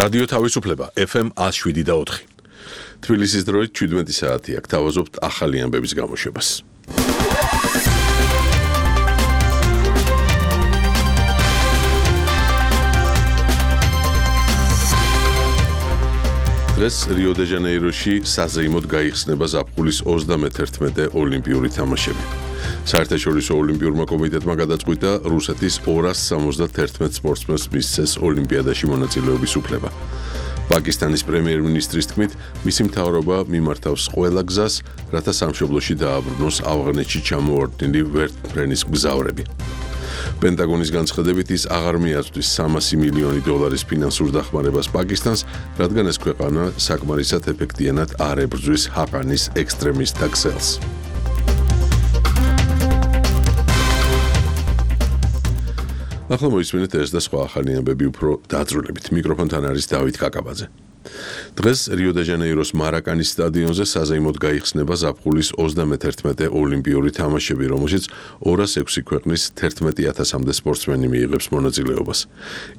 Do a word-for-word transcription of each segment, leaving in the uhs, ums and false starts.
რადიო თავისუფლება F M one oh seven და ოთხი. თბილისის დროით შვიდმეტი საათი აქ თავაზობთ ახალი ამბების გამოშვებას. დღეს რიო-დე-ჟანეიროში საზეიმოდ გაიხსნება ზაფხულის ოცდამეთერთმეტე ოლიმპიური თამაშები. საერთაშორისო ოლიმპიურმა კომიტეტმა გადაწყვიტა რუსეთის ორას სამოცდათერთმეტ სპორტსმენს მისცეს ოლიმპიადაში მონაწილეობის უფლება. პაკისტანის პრემიერ-მინისტრის თქმით, მისი მთავრობა მიმართავს ყველა გზას, რათა სამშობლოში დააბრუნოს ავღანეთში ჩამოვარდნილი ვერტმფრენის მგზავრები. პენტაგონის განცხადებით ის აღარ მიაწვდის სამასი მილიონი დოლარის ფინანსურ დახმარებას პაკისტანს, რადგან ეს ქვეყანა საკმარისად ეფექტიანად არ ებრძვის ჰაყანის ექსტრემისტთა ქსელს. ახლა მოისმინეთ ეს და სხვა ახალი ამბები უფრო დაწვრილებით. მიკროფონთან არის დავით კაკაბაძე. დღეს რიო-დე-ჟანეიროს მარაკანის სტადიონზე საზეიმოდ გაიხსნება ზაფხულის ოცდამეთერთმეტე ოლიმპიური თამაშები, რომელშიც ორას ექვსი ქვეყნის თერთმეტი ათასამდე სპორტსმენი მიიღებს მონაწილეობას.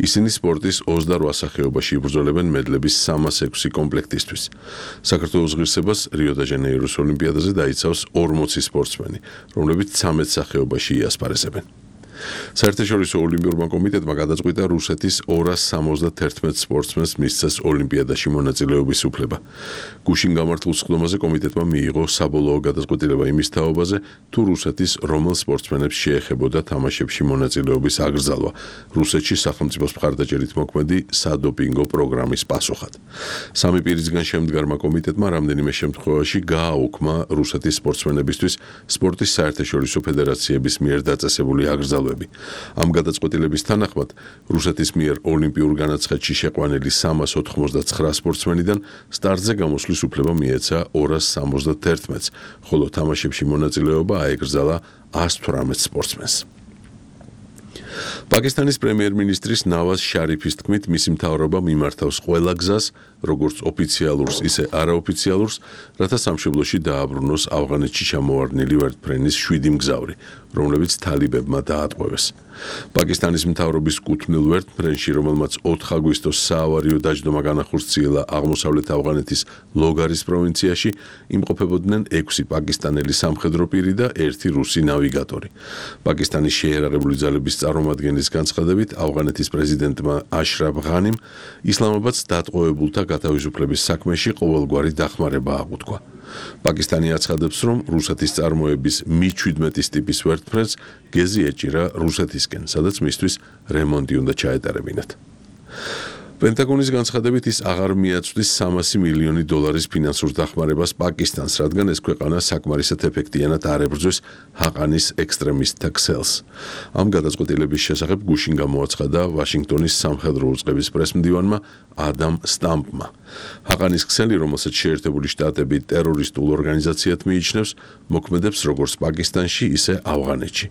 ისინი სპორტის ოცდარვა სახეობაში იბრძოლებენ მედლების სამას ექვსი კომპლექტისთვის. საქართველოს ღირსებას რიო-დე-ჟანეიროს ოლიმპიადაზე დაიცავს ორმოცი სპორტსმენი, რომლებიც ცამეტ სახეობაში იასპარეზებენ. საერთაშორისო ოლიმპიურმა კომიტეტმა გადაწყვიტა რუსეთის ორას სამოცდათერთმეტ სპორტსმენს მისცეს ოლიმპიადაში მონაწილეობის უფლება. გუშინ გამართულ სხდომაზე კომიტეტმა მიიღო საბოლოო გადაწყვეტილება იმის თაობაზე, თუ რუსეთის რომელ სპორტსმენებს შეეხებოდა თამაშებში მონაწილეობის აკრძალვა, რუსეთში სახელმწიფოს მხარდაჭერით მოქმედი სადოპინგო პროგრამის პასუხად. სამი პირისგან შემდგარმა კომიტეტმა რამდენიმე შემთხვევაში გააუქმა რუსეთის სპორტსმენებისთვის სპორტის საერთაშორისო ფედერაციების მიერ დაწესებული აკრძალვა. ამ გადაწყვეტილების თანახმად რუსეთის მიერ ოლიმპიურ განაცხადში შეყვანილი სამას ოთხმოცდაცხრა სპორტსმენიდან სტარტზე გამოსვლის უფლება მიეცა ორას სამოცდათერთმეტს, ხოლო თამაშებში მონაწილეობა აეკრძალა ას თვრამეტ სპორტსმენს. პაკისტანის პრემიერ-მინისტრის ნავაზ შარიფის თქმით, მისი მთავრობა მიმართავს ყველა გზას, როგორც ოფიციალურს, ისე არაოფიციალურს, რათა სამშობლოში დააბრუნოს ავღანეთში ჩამოვარდნილი ვერტმფრენის შვიდი მგზავრი, რომლებიც თალიბებმა დაატყვევეს. პაკისტანის მთავრობის კუთვნილ ვერტმფრენში, რომელმაც ოთხ აგვისტოს საავარიო დაჯდომა განახორციელა აღმოსავლეთ ავღანეთის ლოგარის პროვინციაში, იმყოფებოდნენ ექვსი პაკისტანელი სამხედრო პირი და ერთი რუსი ნავიგატორი. პაკისტანის შეიარაღებული ძალების წარმომადგენლის განცხადებით, ავღანეთის პრეზიდენტმა აშრაფ ღანიმ ისლამაბადს დატყვევებულთა გათავისუფლების საქმეში ყოველგვარი დახმარება აღუთქვა. პაკისტანი აცხადებს, რომ რუსეთის წარმოების მი შვიდმეტის ტიპის ვერტმფრენს გეზი ეჭირა რუსეთისკენ, სადაც მისთვის რემონტი უნდა ჩაეტარებინათ. პენტაგონის განცხადებით ის აღარ მიაწვდის სამასი მილიონი დოლარის ფინანსურ დახმარებას პაკისტანს, რადგან ეს ქვეყანა საკმარისად ეფექტიანად არ ებრძვის ჰაყანის ექსტრემისტთა ქსელს. ამ გადაწყვეტილების შესახებ გუშინ გამოაცხადა ვაშინგტონის სამხედრო უწყების პრესმდივანმა ადამ სტამპმა. ჰაყანის ქსელი, რომელსაც შეერთებული შტატები ტერორისტულ ორგანიზაციად მიიჩნევს, მოქმედებს როგორც პაკისტანში, ისე ავღანეთში.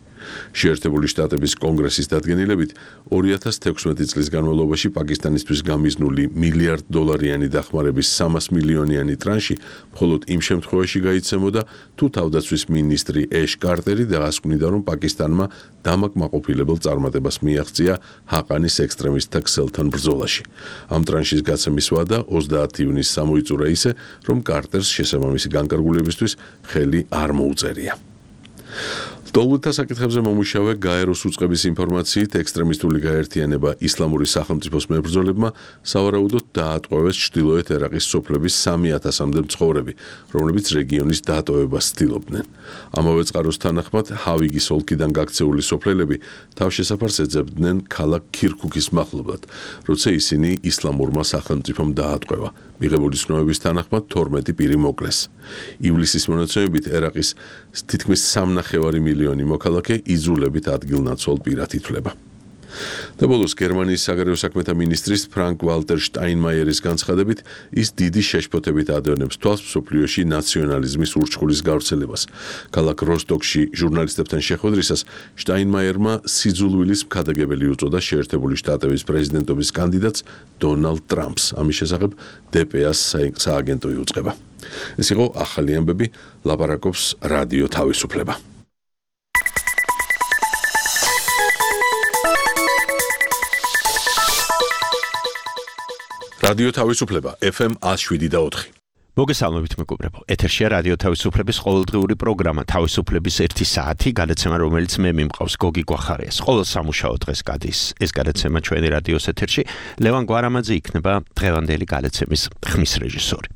შეერთებული შტატების კონგრესის დადგენილებით, ორი ათას თექვსმეტი წლის განმავლობაში პაკისტანისთვის გამიზნული მილიარდ დოლარიანი დახმარების სამას მილიონიანი ტრანში მხოლოდ იმ შემთხვევაში გაიცემოდა, თუ თავდაცვის მინისტრი ეშ კარტერი დაასკვნიდა, რომ პაკისტანმა დამაკმაყოფილებელ წარმატებას მიაღწია ჰაყანის ექსტრემისტთა ქსელთან ბრძოლაში. ამ ტრანშის გაცემის ვადა ოცდაათი ივნისს გამოიწურა ისე, რომ კარტერს შესაბამისი განკარგულებისთვის ხელი არ მოუწერია. ლტოლვილთა საკითხებზე მომუშავე გაეროს უწყების ინფორმაციით, ექსტრემისტული გაერთიანება ისლამური სახელმწიფოს მებრძოლებმა სავარაუდოდ დაატყვევეს ჩრდილოეთ ერაყის სოფლების სამი ათასამდე მცხოვრები, რომლებიც რეგიონის დატოვებას ცდილობდნენ. ამავე წყაროს თანახმად, ჰავიგის ოლქიდან გაქცეული სოფლელები თავშესაფარს ეძებდნენ ქალაქ ქირქუქის მახლობლად, როცა ისინი ისლამურმა სახელმწიფომ დაატყვევა. მიღებული ცნობების თანახმად თორმეტი პირი მოკლეს. ივლისის მონაცემებით ერაყის თითქმის სამნახევარი მილიონი მოქალაქე იძულებით ადგილნაცვალ პირად ითვლება. და ბოლოს გერმანიის საგარეო საქმეთა მინისტრის ფრანკ ვალტერ შტაინმაიერის განცხადებით, ის დიდი შეშფოთებით ადევნებს თვალს მსოფლიოში ნაციონალიზმის ურჩხულის გავრცელებას. ქალაქ როსტოკში ჟურნალისტებთან შეხვედრისას შტაინმაიერმა სიძულვილის მქადაგებელი უწოდა შეერთებული შტატების პრეზიდენტობის კანდიდატს დონალდ ტრამპს. ამის შესახებ დე პე ას სააგენტო იუწყება. ეს იყო ახალი ამბები, ლაპარაკობს რადიო თავისუფლება. რადიო თავისუფლება ეფ ემ one oh seven და four. მოგესალმებით მეგობრებო. ეთერშია რადიო თავისუფლების ყოველდღიური პროგრამა თავისუფლების ერთი საათი, გადაცემა რომელიც მე მიმყავს გოგი გვახარიას. ყოველ სამუშაო დღეს გადის ეს გადაცემა ჩვენი რადიოს ეთერში. ლევან გვარამაძე იქნება დღევანდელი გადაცემის ხმის რეჟისორი.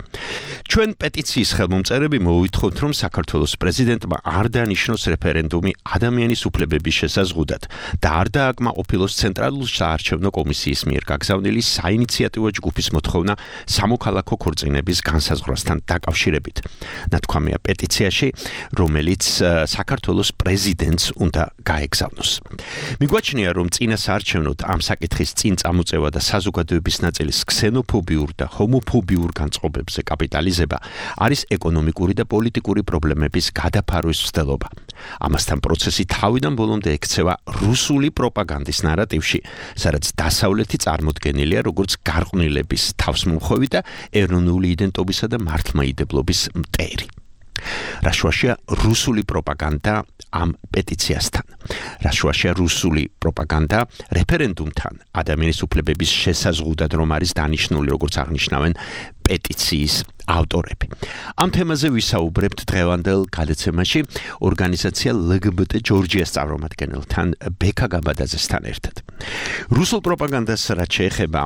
ჩვენ პეტიციის ხელმომწერები მოვვითხოვთ, რომ საქართველოს პრეზიდენტმა არ დანიშნოს რეფერენდუმი ადამიანის უფლებების შესაზღუდად და არ დააკმაყოფილოს ცენტრალურ საარჩევნო კომისიის მიერ გაგზავნილი საინიციატივო ჯგუფის მოთხოვნა სამოქალაქო ქორწინების განსაზღვრასთან დაკავშირებით. ნათქვამია პეტიციაში, რომელიც საქართველოს პრეზიდენტს უნდა გაეგზავნოს. მიგვაჩნია, რომ წინა საარჩევნოდ ამ საკითხის წინ წამოწევა და საზოგადოების ნაწილის ქსენოფობიურ და ჰომოფობიურ განწყობებზე კაპიტალიზება არის ეკონომიკური და პოლიტიკური პრობლემების გადაფარვის მცდელობა. ამასთან პროცესი თავიდან ბოლომდე ექცევა რუსული პროპაგანდის ნარატივში, სადაც დასავლეთი წარმოდგენილია როგორც გარყვნილების თავსმომხვევი და ეროვნული იდენტობისა და მართლმაიდებლობის მტერი. რაშუაშია რუსული პროპაგანდა ამ პეტიციასთან. რაშუაშია რუსული პროპაგანდა რეფერენდუმთან ადამიანის უფლებების შესაზღუდად რომ არის დანიშნული, როგორც აღნიშნავენ პეტიციის ავტორები. ამ თემაზე ვისაუბრებთ დღევანდელ გადაცემაში ორგანიზაცია ელ გი ბი ტი ჯორჯიას წარმომადგენელთან ბექა გაბადაძესთან ერთად. რუსულ პროპაგანდას რაც შეეხება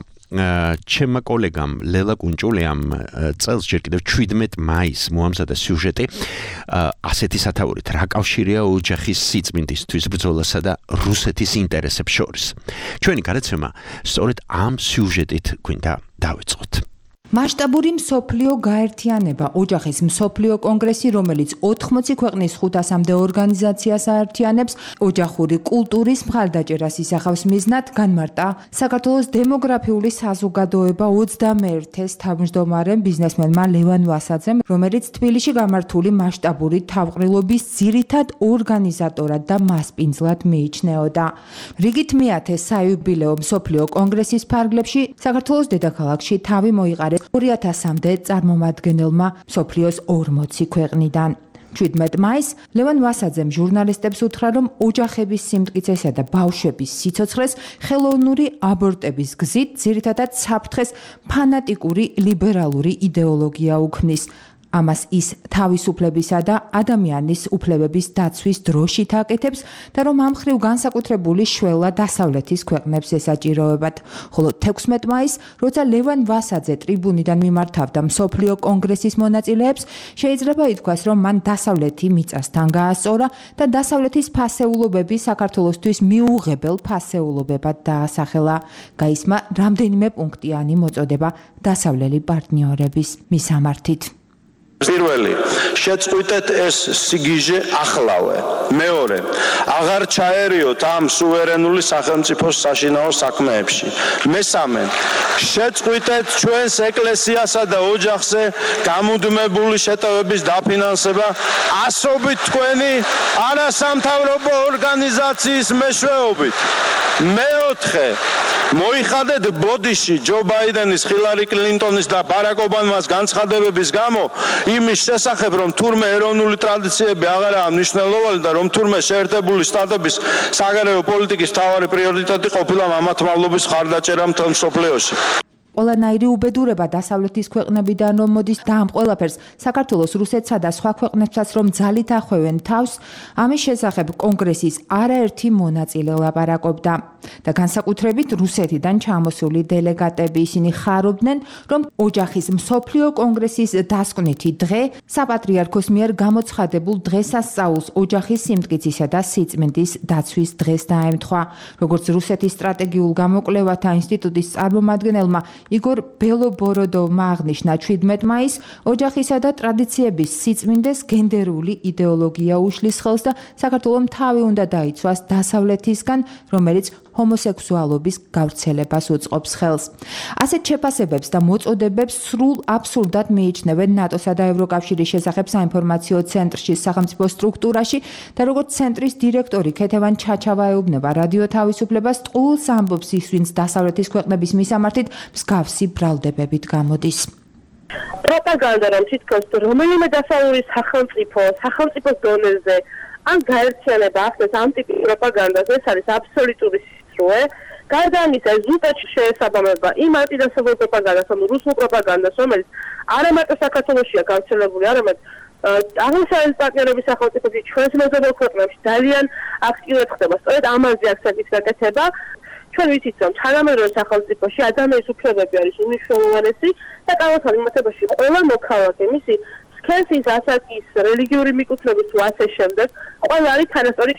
ჩემმა კოლეგამ ლელა კუნჭულიამ წელს ჯერ კიდევ seventeen მაისს მოამზადა სიუჟეტი ასეთი სათაურით, რა კავშირია ოჯახის სიწმინდისთვის ბრძოლასა და რუსეთის ინტერესებს შორის. ჩვენი გადაცემა სწორედ ამ სიუჟეტით გვინდა დავიწყოთ. მასშტაბური მსოფლიო გაერთიანება, ოჯახის მსოფლიო კონგრესი, რომელიც ოთხმოცი ქვეყნის ხუთასამდე ორგანიზაციას აერთიანებს, ოჯახური კულტურის მხარდაჭერას ისახავს მიზნად, განმარტა საქართველოს დემოგრაფიული საზოგადოება ოცდამეერთეს თავმჯდომარემ ბიზნესმენმა ლევან ვასაძემ, რომელიც თბილისში გამართული მასშტაბური თავყრილობის ძირითად ორგანიზატორად და მასპინძლად მიიჩნეოდა. რიგით მეათე საიუბილეო მსოფლიო კონგრესის ფარგლებში საქართველოს დედაქალაქში თავი მოიყარეს ორი ათასამდე წარმომადგენელმა მსოფლიოს ორმოცი ქვეყნიდან. seventeen მაისს ლევან ვასაძემ ჟურნალისტებს უთხრა, რომ ოჯახების სიმტკიცესა და ბავშვების სიცოცხლეს ხელოვნური აბორტების გზით ძირითადად საფრთხეს ფანატიკური ლიბერალური იდეოლოგია უქმნის. ამას ის თავისუფლებისა და ადამიანის უფლებების დაცვის დროშით აკეთებს და რომ ამ ხრივ განსაკუთრებული შველა დასავლეთის ქვეყნებს ესაჭიროებათ. ხოლო თექვსმეტ მაისს, როცა ლევან ვასაძე ტრიბუნიდან მიმართავდა მსოფლიო კონგრესის მონაწილეებს, შეიძლება ითქვას, რომ მან დასავლეთი მიწასთან გაასწორა და დასავლეთის ფასეულობები საქართველოსთვის მიუღებელ ფასეულობებად დაასახელა. გაისმა რამდენიმე პუნქტიანი მოწოდება დასავლელი პარტნიორების მისამართით. პირველი, შეწყვიტეთ ეს სიგიჟე ახლავე. მეორე, აღარ ჩაერიოთ ამ სუვერენული სახელმწიფოს საშინაო საქმეებში. მესამე, შეწყვიტეთ ჩვენს ეკლესიასა და ოჯახზე გამუდმებული შეტევების დაფინანსება ასობით თქვენი არასამთავრობო ორგანიზაციის მეშვეობით. მეოთხე, მოიხადეთ ბოდიში ჯო ბაიდენის, ჰილარი კლინტონის და ბარაკ ობამას განცხადებების გამო იმის შესახებ, რომ თურმე ეროვნული ტრადიციები აღარაა მნიშვნელოვანი და რომ თურმე შეერთებული შტატების საგარეო პოლიტიკის მთავარი პრიორიტეტი ყოფილა მამათმავლობის მხარდაჭერა მთელ მსოფლიოში. ყველანაირი უბედურება დასავლეთის ქვეყნებიდან რომ მოდის და ამ ყველაფერს საქართველოს, რუსეთსა და სხვა ქვეყნებსაც რომ ძალით ახვევენ თავს, ამის შესახებ კონგრესის არაერთი მონაწილე ლაპარაკობდა და განსაკუთრებით რუსეთიდან ჩამოსული დელეგატები ისინი ხარობდნენ, რომ ოჯახის მსოფლიო კონგრესის დასკვნითი დღე საპატრიარქოს მიერ გამოცხადებულ დღესასწაულს ოჯახის სიმტკიცისა და სიწმინდის დაცვის დღეს დაემთხვა. როგორც რუსეთის სტრატეგიულ გამოკვლევათა ინსტიტუტის წარმომადგენელმა იგორ ბელობოროდოვმა აღნიშნა seventeen მაისს, ოჯახისა და ტრადიციების სიწმინდეს გენდერული იდეოლოგია უშლის ხელს და საქართველოს თავი უნდა დაიცვას დასავლეთისგან, რომელიც ჰომოსექსუალობის გავრცელებას უწყობს ხელს. ასეთ შეფასებებს და მოწოდებებს სრულ აბსურდად მიიჩნევენ ნატოსა და ევროკავშირის შესახებ საინფორმაციო ცენტრში სახელმწიფო სტრუქტურაში და როგორც ცენტრის დირექტორი ქეთევან ჩაჩავა ეუბნება რადიო თავისუფლებას, ტყუილს ამბობს ის, ვინც დასავლეთის ქვეყნების მისამართით მსგავსი ბრალდებებით გამოდის. პროპაგანდა რომ თითქოს რომელიმე დასავლური სახელმწიფო სახელმწიფოს დონეზე ან გაერთიანება ახდენს ამ ტიპის პროპაგანდას, ეს არის აბსოლუტური სისრუე გარდა ამისა, ზუსტად შეესაბამება იმ ანტიდასავლურ პროპაგანდას, ანუ რუსულ პროპაგანდას, რომელიც არა მარტო საქართველოშია გავრცელებული, არამედ აღმოსავლეთის პარტნიორების სახელმწიფოებში, ჩვენს მეზობელ ქვეყნებში ძალიან აქტიურად ხდება. სწორედ ამაზე აქცენტის გაკეთება. ჩვენ ვიცით, რომ თანამედროვე სახელმწიფოში ადამიანის უფლებები არის უმნიშვნელოვანესი და კანონთან მიმართებაში ყველა მოქალაქე, მისი სქესის, ასაკის, რელიგიური მიკუთვნების თუ ასე შემდეგ, ყველა არის თანასწორი.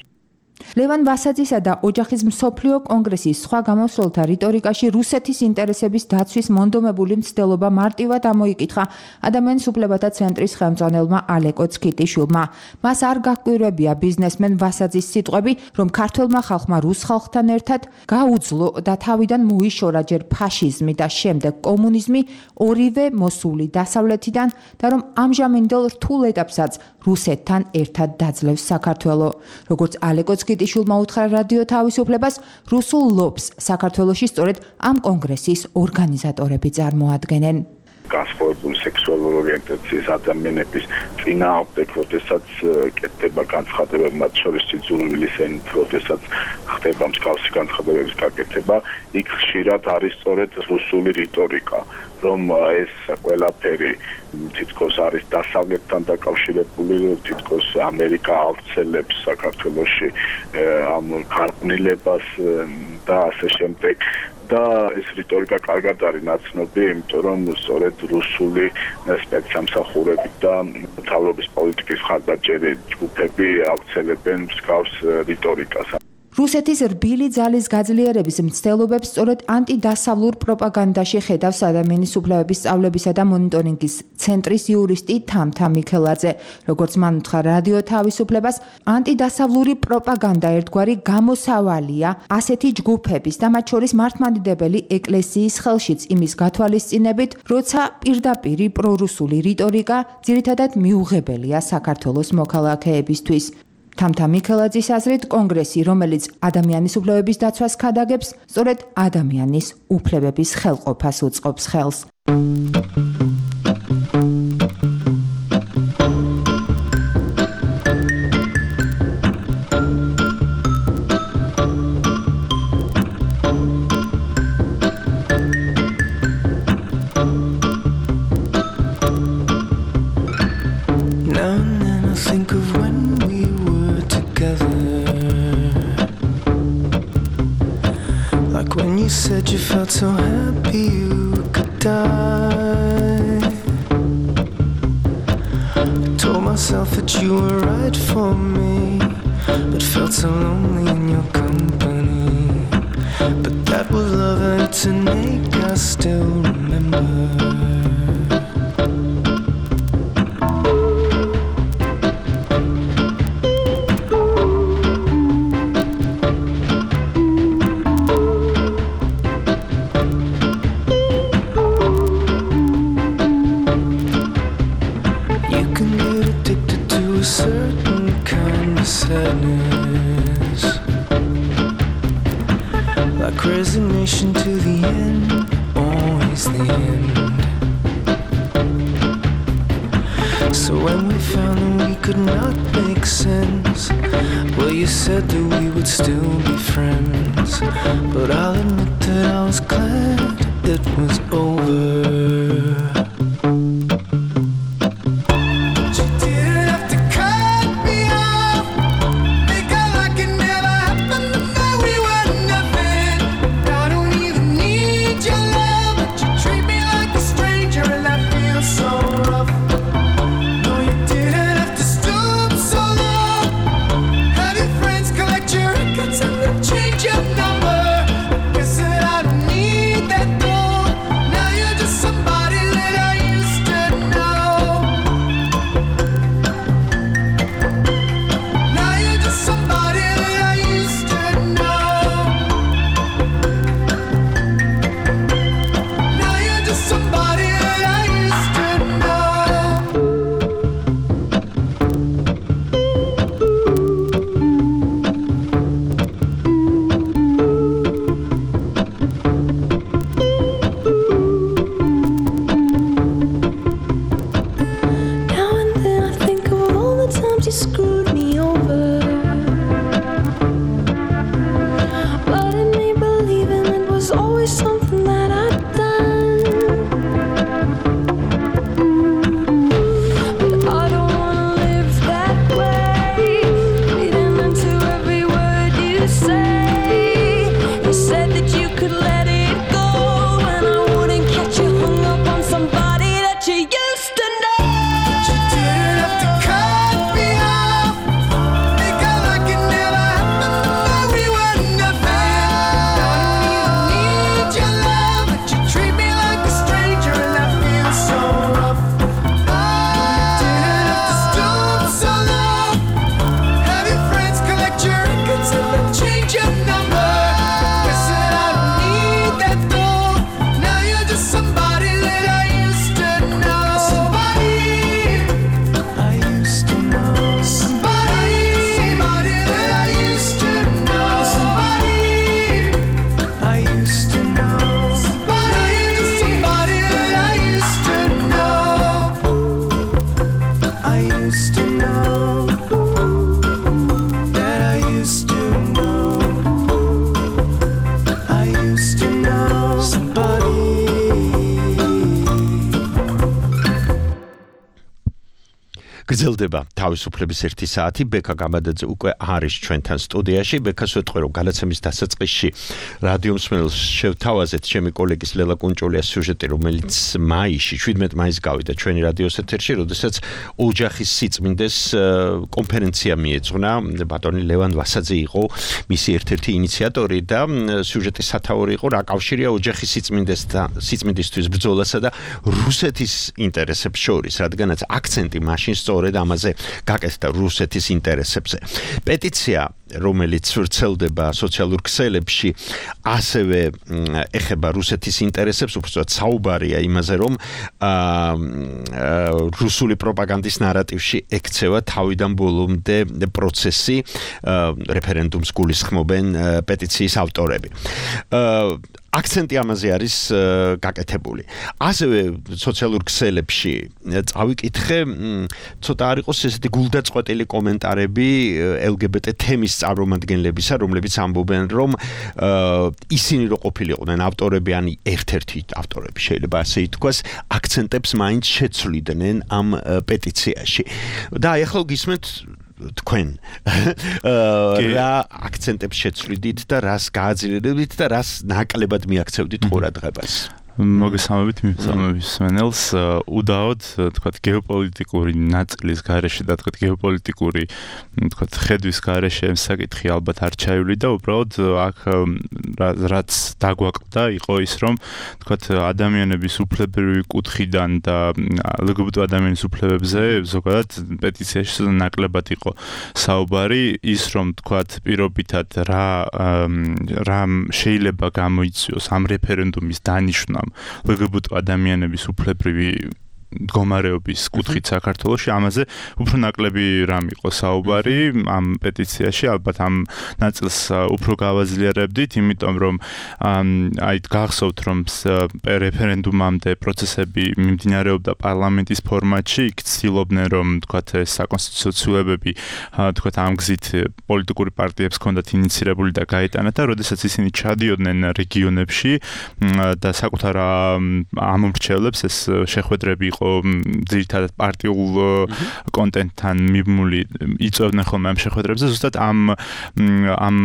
ლევან ვასაძისა და ოჯახის მსოფლიო კონგრესის სხვა გამოსვლელთა რიტორიკაში რუსეთის ინტერესების დაცვის მონდომებული მცდელობა მარტივად ამოიკითხა ადამიანის უფლებათა ცენტრის ხელმძღვანელმა ალეკო ცქიტიშვილმა. მას არ გაჰკვირვებია ბიზნესმენ ვასაძის სიტყვები, რომ ქართველმა ხალხმა რუს ხალხთან ერთად გაუძლო და თავიდან მოიშორა ჯერ ფაშიზმი და შემდეგ კომუნიზმი, ორივე მოსული დასავლეთიდან და რომ ამჟამინდელ რთულ ეტაპსაც რუსეთთან ერთად დაძლევს საქართველო. როგორც ალეკო ცქიტიშვილმა უთხრა რადიო თავისუფლებას, რუსულ ლობს საქართველოში სწორედ ამ კონგრესის ორგანიზატორები წარმოადგენენ. განსხვავებული სექსუალური ორიენტაციის ადამიანების წინააღმდეგ, როდესაც კეთდება განცხადებები, მათ შორის სიძულვილის ენით, როდესაც ხდება მსგავსი განცხადებების გაკეთება, იქ ხშირად არის სწორედ რუსული რიტორიკა, რომ ეს ყველაფერი თითქოს არის დასავლეთთან დაკავშირებული, თითქოს ამერიკა ავრცელებს საქართველოში ამ გარყვნილებას და ასე შემდეგ. და ეს რიტორიკა კარგად არის ნაცნობი, იმიტომ რომ სწორედ რუსული სპეცსამსახურები და მთავრობის პოლიტიკის მხარდაჭერი ჯგუფები ავრცელებენ მსგავს რიტორიკას. რუსეთის რბილი ძალის გაძლიერების მცდელობებს სწორედ ანტიდასავლურ პროპაგანდაში ხედავს ადამიანის უფლებების სწავლებისა და მონიტორინგის ცენტრის იურისტი თამთა მიქელაძე. როგორც მან უთხრა რადიო თავისუფლებას, ანტიდასავლური პროპაგანდა ერთგვარი გამოსავალია ასეთი ჯგუფების და მათ შორის მართლმადიდებელი ეკლესიის ხელშიც იმის გათვალისწინებით, როცა პირდაპირი პრორუსული რიტორიკა ძირითადად მიუღებელია საქართველოს მოქალაქეებისთვის. თამთა მიქელაძის აზრით, კონგრესი, რომელიც ადამიანის უფლებების დაცვას ქადაგებს, სწორედ ადამიანის უფლებების ხელყოფას უწყობს ხელს. Said you felt so happy you could die. I told myself that you were right for me, but felt so lonely in your company. But that was love and it's an ache I still remember. Resignation to the end, always the end. So when we found that we could not make sense, well, you said that we would still be friends. But I'll admit that I was glad it was over. Somebody let გრძელდება თავისუფლების ერთი საათი. ბექა გამადაძე უკვე არის ჩვენთან სტუდიაში. ბექას ვეთქვი, რომ გადაცემის დასაწყისში რადიო მსმენელს შევთავაზეთ ჩემი კოლეგის ლელა კუნჭულიას სიუჟეტი, რომელიც მაისში, შვიდმეტ მაისს გავიდა ჩვენი რადიოს ეთერში, როდესაც ოჯახის სიწმინდეს კონფერენცია მიეძღვნა. ბატონი ლევან ვასაძე იყო მისი ერთ-ერთი ინიციატორი და სიუჟეტის სათაური იყო რა კავშირია ოჯახის სიწმინდეს და სიწმინდისთვის ბრძოლასა და რუსეთის ინტერესებს შორის, რადგანაც აქცენტი მაშინ სწორედ ამაზე გაკეთდა რუსეთის ინტერესებზე. პეტიცია, რომელიც ვრცელდება სოციალურ ქსელებში, ასევე ეხება რუსეთის ინტერესებს, უბრალოდ საუბარია იმაზე, რომ რუსული პროპაგანდის ნარატივში ექცევა თავიდან ბოლომდე პროცესი, რეფერენდუმს გულისხმობენ პეტიციის ავტორები. აქცენტი ამაზე არის გაკეთებული. ასევე სოციალურ ქსელებში წავიკითხე, ცოტა არ იყოს ესეთი გულდაწყვეტილი კომენტარები ელ გი ბი ტი თემის წარმომადგენლებისა, რომლებიც ამბობენ, რომ ისინი რო ყოფილიყვნენ ავტორები, ან ერთ-ერთი ავტორები შეიძლება ასე ითქვას, აქცენტებს მაინც შეცვლიდნენ ამ პეტიციაში. და ახლა გისმენთ თქვენ რა აქცენტებს შეცვლიდით და რას გააძლიერებდით და რას ნაკლებად მიაქცევდით ყურადღებას? მოგესალმებით მიმსწავლების მსმენელს. უდაოდ თქვათ გეოპოლიტიკური ნაწილის გარეშე და თქვათ გეოპოლიტიკური თქვათ ხედვის გარეშე ამ საკითხი ალბათ არ ჩაივლი და უბრალოდ აქ რაც დაგვაკლდა იყო ის, რომ თქვათ ადამიანების უფლებრივი კუთხიდან და ელ გი ბი ტი ადამიანის უფლებებზე ზოგადად პეტიციაში ნაკლებად იყო საუბარი, ის რომ თქვათ პირობითად რა რა შეიძლება გამოიწვიოს ამ რეფერენდუმის დანიშვნამ ელ გი ბი ტი ადამიანების უფლებრივი მდგომარეობის კუთხით საქართველოში, ამაზე უფრო ნაკლები რამ იყო საუბარი ამ პეტიციაში, ალბათ ამ ნაწილს უფრო გავაძლიერებდით, იმიტომ რომ აი გახსოვთ, რომ რეფერენდუმამდე პროცესები მიმდინარეობდა პარლამენტის ფორმატში, იქ ცდილობდნენ, რომ თქვათ ეს საკონსტიტუციო ცვლილებები თქვათ ამ გზით პოლიტიკური პარტიებს ჰქონდათ ინიცირებული და გაეტანათ და როდესაც ისინი ჩადიოდნენ რეგიონებში და საკუთარ ამომრჩევლებს ეს შეხვედრები ძირითადად პარტიულ კონტენტთან მიბმული იწვევდნენ ხოლმე ამ შეხვედრებზე, ზუსტად ამ ამ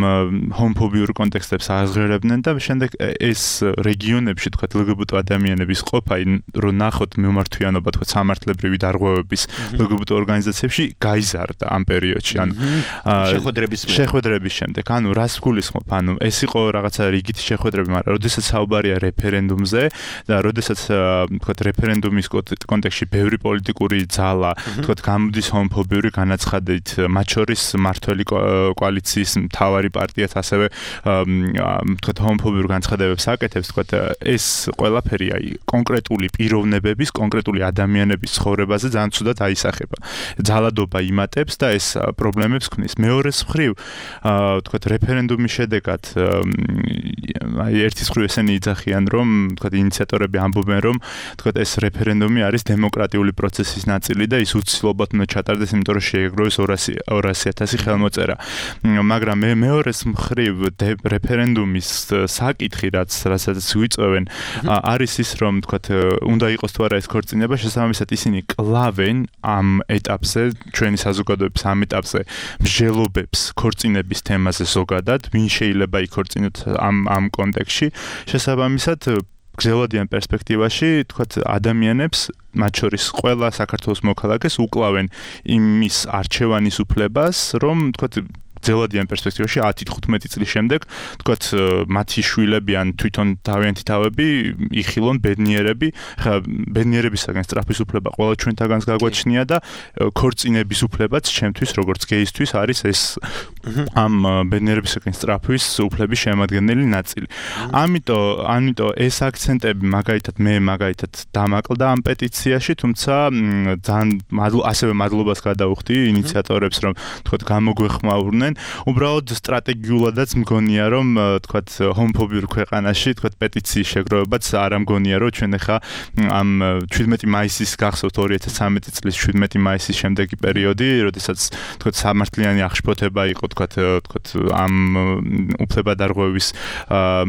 ჰომოფობიურ კონტექსტებს აღზღერებდნენ და შემდეგ ეს რეგიონებში თქვათ ელ გი ბი ტი ადამიანების ყოფა, რომ ნახოთ მიმართვიანობა თქვათ სამართლებრივი დარღვევების ელ გი ბი ტი ორგანიზაციებში გაიზარდა ამ პერიოდში, ანუ შეხვედრების შეხვედრების შემდეგ, ანუ რას გულისხმობ, ანუ ეს იყო რაღაცა რიგითი შეხვედრები, მაგრამ როდესაც საუბარია რეფერენდუმზე და როდესაც თქვათ რეფერენდუმის კონტექსტში ბევრი პოლიტიკური ძალა, თქვათ გამოდის ჰომოფობიური განაცხადებით, მათ შორის მართველი კოალიციის მთავარი პარტიაც ასევე თქვათ ჰომოფობიურ განცხადებებს აკეთებს, თქვათ ეს ყველაფერი აი კონკრეტული პიროვნებების, კონკრეტული ადამიანების ცხოვრებაზე ძალიან ცუდად აისახება. ძალადობა იმატებს და ეს პრობლემებს ქმნის. მეორეს მხრივ, თქვათ რეფერენდუმის შედეგად აი ერთის მხრივ ესენი იძახიან, რომ თქვათ ინიციატორები ამბობენ, რომ თქვათ ეს რეფერენდუმი არის დემოკრატიული პროცესის ნაწილი და ის უცილობად უნდა ჩატარდეს, იმიტომ რომ შეეგროვეს ორასი ათასი ხელმოწერა. მაგრამ მე მეორეს მხრივ რეფერენდუმის საკითხი, რაც რასაც ვიწევენ, არის ის, რომ თქვათ უნდა იყოს თუ არა ეს ქორწინება, შესაბამისად ისინი კლავენ ამ ეტაპზე, ჩვენი საზოგადოების ამ ეტაპზე მსჯელობებს ქორწინების თემაზე ზოგადად, ვინ შეიძლება იქორწინოთ ამ ამ კონტექსტში, შესაბამისად გრძელვადიან პერსპექტივაში, თქვათ ადამიანებს, მათ შორის ყველა საქართველოს მოქალაქეს უკლავენ იმის არჩევანის უფლებას, რომ თქვათ გრძელვადიან პერსპექტივაში ათი თხუთმეტი წლის შემდეგ, თქვათ მათი შვილები ან თვითონ თავიანთი თავები იხილონ ბედნიერები, ხა ბედნიერებისაგან სწრაფის უფლება ყველა ჩვენთაგანს გაგვაჩნია და ქორწინების უფლებაც ჩემთვის როგორც გეისთვის არის ეს ამ ბედნიერებისაგან სწრაფის უფლების შემადგენელი ნაწილი. ამიტომ ამიტომ ეს აქცენტები მაგალითად მე მაგალითად დამაკლდა ამ პეტიციაში, თუმცა ძალიან ასევე მადლობას გადავუხდი ინიციატორებს, რომ თქვათ გამოგვეხმაურნენ უბრალოდ სტრატეგიულადაც მგონია რომ თქვათ ჰომოფობიურ ქვეყანაში თქვათ პეტიციის შეგროვებაც არ ამგონია რომ ჩვენ ახლა ამ შვიდმეტი მაისის გახსოვთ ორი ათას ცხრამეტი წლის შვიდმეტი მაისის შემდეგი პერიოდი, როდესაც თქვათ სამართლიანი აღშფოთება იყო თქვათ თქვათ ამ უფლებადარღვევის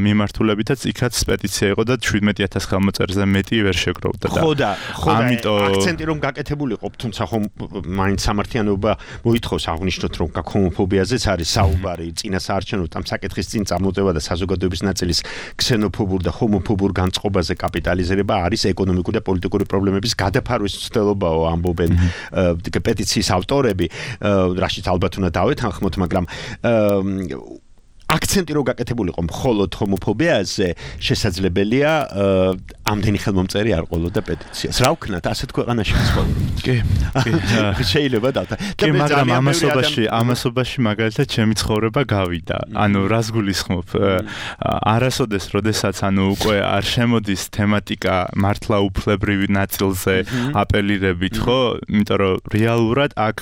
მიმართულებითაც იქაც პეტიცია იყო და შვიდმეტი ათას ხელმოწერზე მეტი ვერ შეგროვდა და ხო და ხო და აქცენტი რომ გაკეთებულიყო, თუმცა ხომ მაინც სამართლიანობა მოითხოვს აღნიშნოთ რომ ჰომოფობიაზეც არის საუბარი, წინასაარჩევნო ამ საკითხის წინ წამოწევა და საზოგადოების ნაწილის ქსენოფობურ და ჰომოფობურ განწყობაზე კაპიტალიზება არის ეკონომიკური და პოლიტიკური პრობლემების გადაფარვის მცდელობაო, ამბობენ პეტიციის ავტორები, რაშიც ალბათ უნდა დავეთანხმოთ, მაგრამ აქცენტი რო გაკეთებულიყო მხოლოდ ჰომოფობიაზე, შესაძლებელია ამდენი ხელმომწერი არ ყოლოდა პეტიციას. რა ვქნათ, ასეთ ქვეყანაში ცხოვრობთ? კი, კი. შეიძლება და კი, მაგრამ ამასობაში, ამასობაში მაგალითად ჩემი ცხოვრება გავიდა. ანუ რას გულისხმობ? არასოდეს, როდესაც ანუ უკვე არ შემოდის თემატიკა მართლა უფლებრივი ნაწილზე აპელირებით, ხო? იმიტომ რომ რეალურად აქ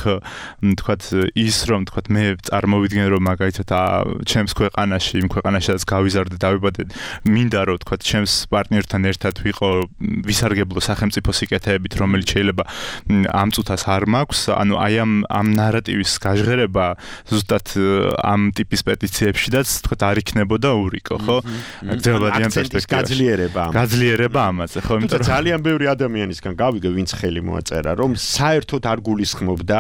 თქვათ ის რომ თქვათ მე წარმოვიდგენ რომ მაგალითად ჩემს ქვეყანაში, იმ ქვეყანაშიც გავიზარდე, დავიბადე, მინდა რომ თქვათ ჩემს პარტნიორთან ერთად ვიყო ვისარგებლო სახელმწიფო სიკეთეებით, რომელიც შეიძლება ამ წუთას არ მაქვს, ანუ აი ამ ამ ნარატივის გაჟღერება ზუსტად ამ ტიპის პეტიციებშიდაც თქვათ არ იქნებოდა ურიკო, ხო? გრძელვადიან პერსპექტივაში. გაძლიერება ამაზე. გაძლიერება ამაზე, ხო? იმიტომ რომ ძალიან ბევრი ადამიანისგან გავიგე, ვინც ხელი მოაწერა, რომ საერთოდ არ გულისხმობდა,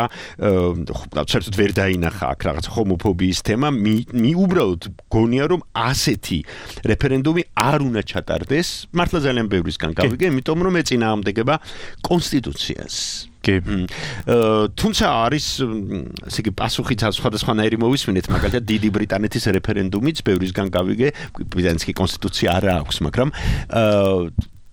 საერთოდ ვერ დაინახა აქ რაღაც ჰომოფობიის თემა, მი უბრალოდ გონია რომ ასეთი რეფერენდუმი არ უნდა ჩატარდეს, მართლა ძალიან ბევრისგან გავიგე, იმიტომ რომ ეწინააღმდეგება კონსტიტუციას. კი. თუმცა არის ესე იგი პასუხიც სხვადასხვანაირი მოვისმინეთ, მაგალითად დიდი ბრიტანეთის რეფერენდუმიც ბევრისგან გავიგე, ბრიტანეთის კონსტიტუცია არ აქვს, მაგრამ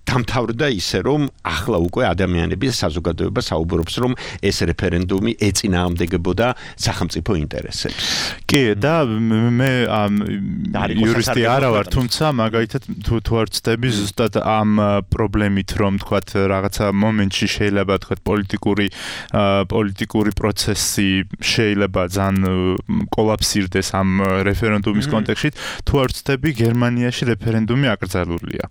დამთავრდა ისე რომ ახლა უკვე ადამიანების საზოგადოება საუბრობს რომ ეს რეფერენდუმი ეწინააღმდეგებოდა სახელმწიფო ინტერესებს. კი, და მე იურისტი არა ვარ, თუმცა მაგალითად თუ თუ არ ვწდები ზუსტად ამ პრობლემით რომ თქვათ რაღაცა მომენტში შეიძლება თქვათ პოლიტიკური პოლიტიკური პროცესი შეიძლება ძალიან კოლაფსირდეს ამ რეფერენდუმის კონტექსტში, თუ არ ვწდები გერმანიაში რეფერენდუმი აკრძალულია.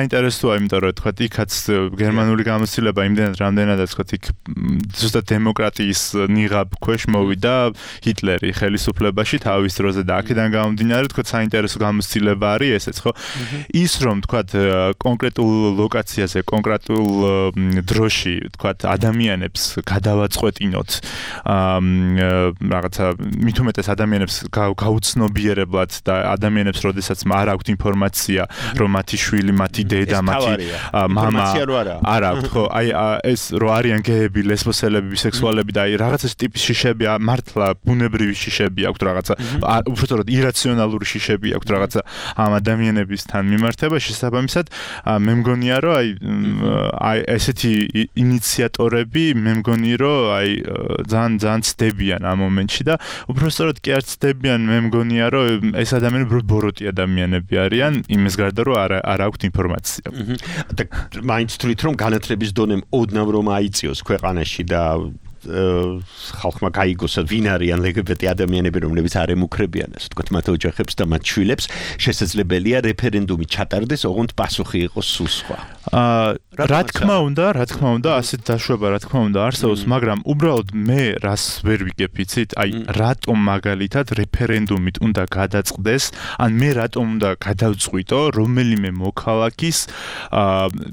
საინტერესოა, იმიტომ რომ თქვათ იქაც გერმანული გამოცდილება იმდენად რამდენადაც თქვათ იქ ზუსტად დემოკრატიის ნიღაბ ქვეშ მოვიდა ჰიტლერი ხელისუფლებაში თავის დროზე და აქედან გამომდინარე თქვათ საინტერესო გამოცდილება არის ესეც, ხო? ის რომ თქვათ კონკრეტულ ლოკაციაზე, კონკრეტულ დროში თქვათ ადამიანებს გადავაწყვეტინოთ რაღაცა მით უმეტეს ადამიანებს გაუცნობიერებლად და ადამიანებს როდესაც არ აქვთ ინფორმაცია რომ მათი შვილი, მათი დედა, მათი მამა არ აქვთ, ხო? აი ეს რო არიან გეები, ლესბოსელები, ბისექსუალები და აი რაღაცა ტიპის შიშები მართლა ბუნებრივი შიშები აქვთ რაღაცა, უბრალოდ ირაციონალური შიშები აქვთ რაღაცა ამ ადამიანებისთან მიმართებაში, შესაბამისად მე მგონია რომ აი აი ესეთი ინიციატორები მე მგონი რომ აი ძალიან ძალიან ცდებიან ამ მომენტში და უბრალოდ კი არ ცდებიან, მე მგონია რომ ეს ადამიანები ბოროტი ადამიანები არიან, იმის გარდა რომ არ არ აქვთ ინფორმაცია. და მაინც თვლით რომ განათლების დონემ ოდნავ რომ აიწიოს ქვეყანაში და ხალხმა გაიგოს ვინ არიან ლგბტ ადამიანები, რომლებიც არ ემუქრებიან ასე ვთქვათ მათ ოჯახებს და მათ შვილებს, შესაძლებელია რეფერენდუმი ჩატარდეს, ოღონდ პასუხი იყოს სულ სხვა. რა თქმა უნდა, რა თქმა უნდა, ასეთ დაშვება რა თქმა უნდა არსებობს, მაგრამ უბრალოდ მე რას ვერ ვიგებ იცით, აი რატომ მაგალითად რეფერენდუმით უნდა გადაწყდეს, ან მე რატომ უნდა გადავწყვიტო რომელიმე მოქალაქის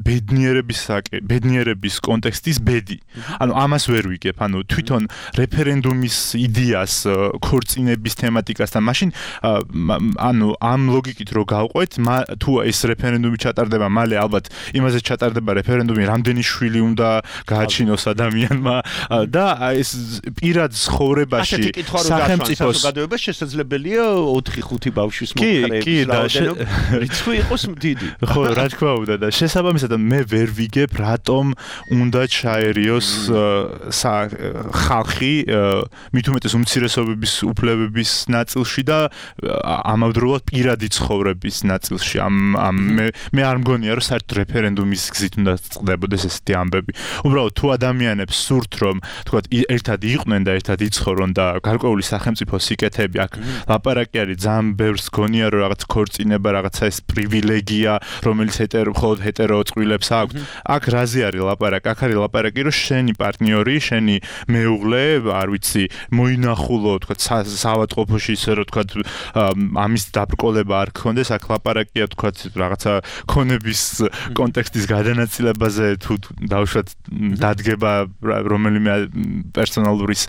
ბედნიერების ბედნიერების კონტექსტის ბედი. ანუ ამას ვერ ვიგებ, ანუ თვითონ რეფერენდუმის იდეას, ქორწინების თემატიკასთან, მაშინ ანუ ამ ლოგიკით რო გავყვეთ, თუ ეს რეფერენდუმი ჩატარდება, მალე ალბათ იმაზე ჩატარდება რეფერენდუმი, რამდენი შვილი უნდა გააჩინოს ადამიანმა და ეს პირად ცხოვრებაში სახელმწიფოს საზოგადოება შესაძლებელია ოთხი ხუთი ბავშვის მომხრეების რაოდენობა რიცხვი იყოს დიდი. ხო, რა თქმა უნდა და შესაბამისად მე ვერ ვიგებ რატომ უნდა ჩაერიოს ხალხი მით უმეტეს უმცირესობების უფლებების ნაწილში და ამავდროულად პირადი ცხოვრების ნაწილში ამ მე მე არ მგონია რომ საერთოდ რეფერენდუმის გზით უნდა წყდებოდეს ესეთი ამბები. უბრალოდ თუ ადამიანებს სურთ რომ თქვათ ერთად იყვნენ და ერთად იცხოვრონ და გარკვეული სახელმწიფო სიკეთები აქ ლაპარაკი არის ძალიან ბევრს გონია რომ რაღაც ქორწინება რაღაცა ეს პრივილეგია რომელიც ჰეტერო მხოლოდ ჰეტერო წყვილებს აქვს. აქ რაზე არის ლაპარაკი? აქ არის ლაპარაკი რომ შენი პარტნიორი, შენი მეუღლე, არ ვიცი, მოინახულო თქვათ საავადმყოფოში ისე რომ თქვათ ამის დაბრკოლება არ გქონდეს, აქ ლაპარაკია თქვათ რაღაცა ქონების კონტექსტის გადანაწილებაზე თუ დავუშვათ დადგება რომელიმე პერსონალურის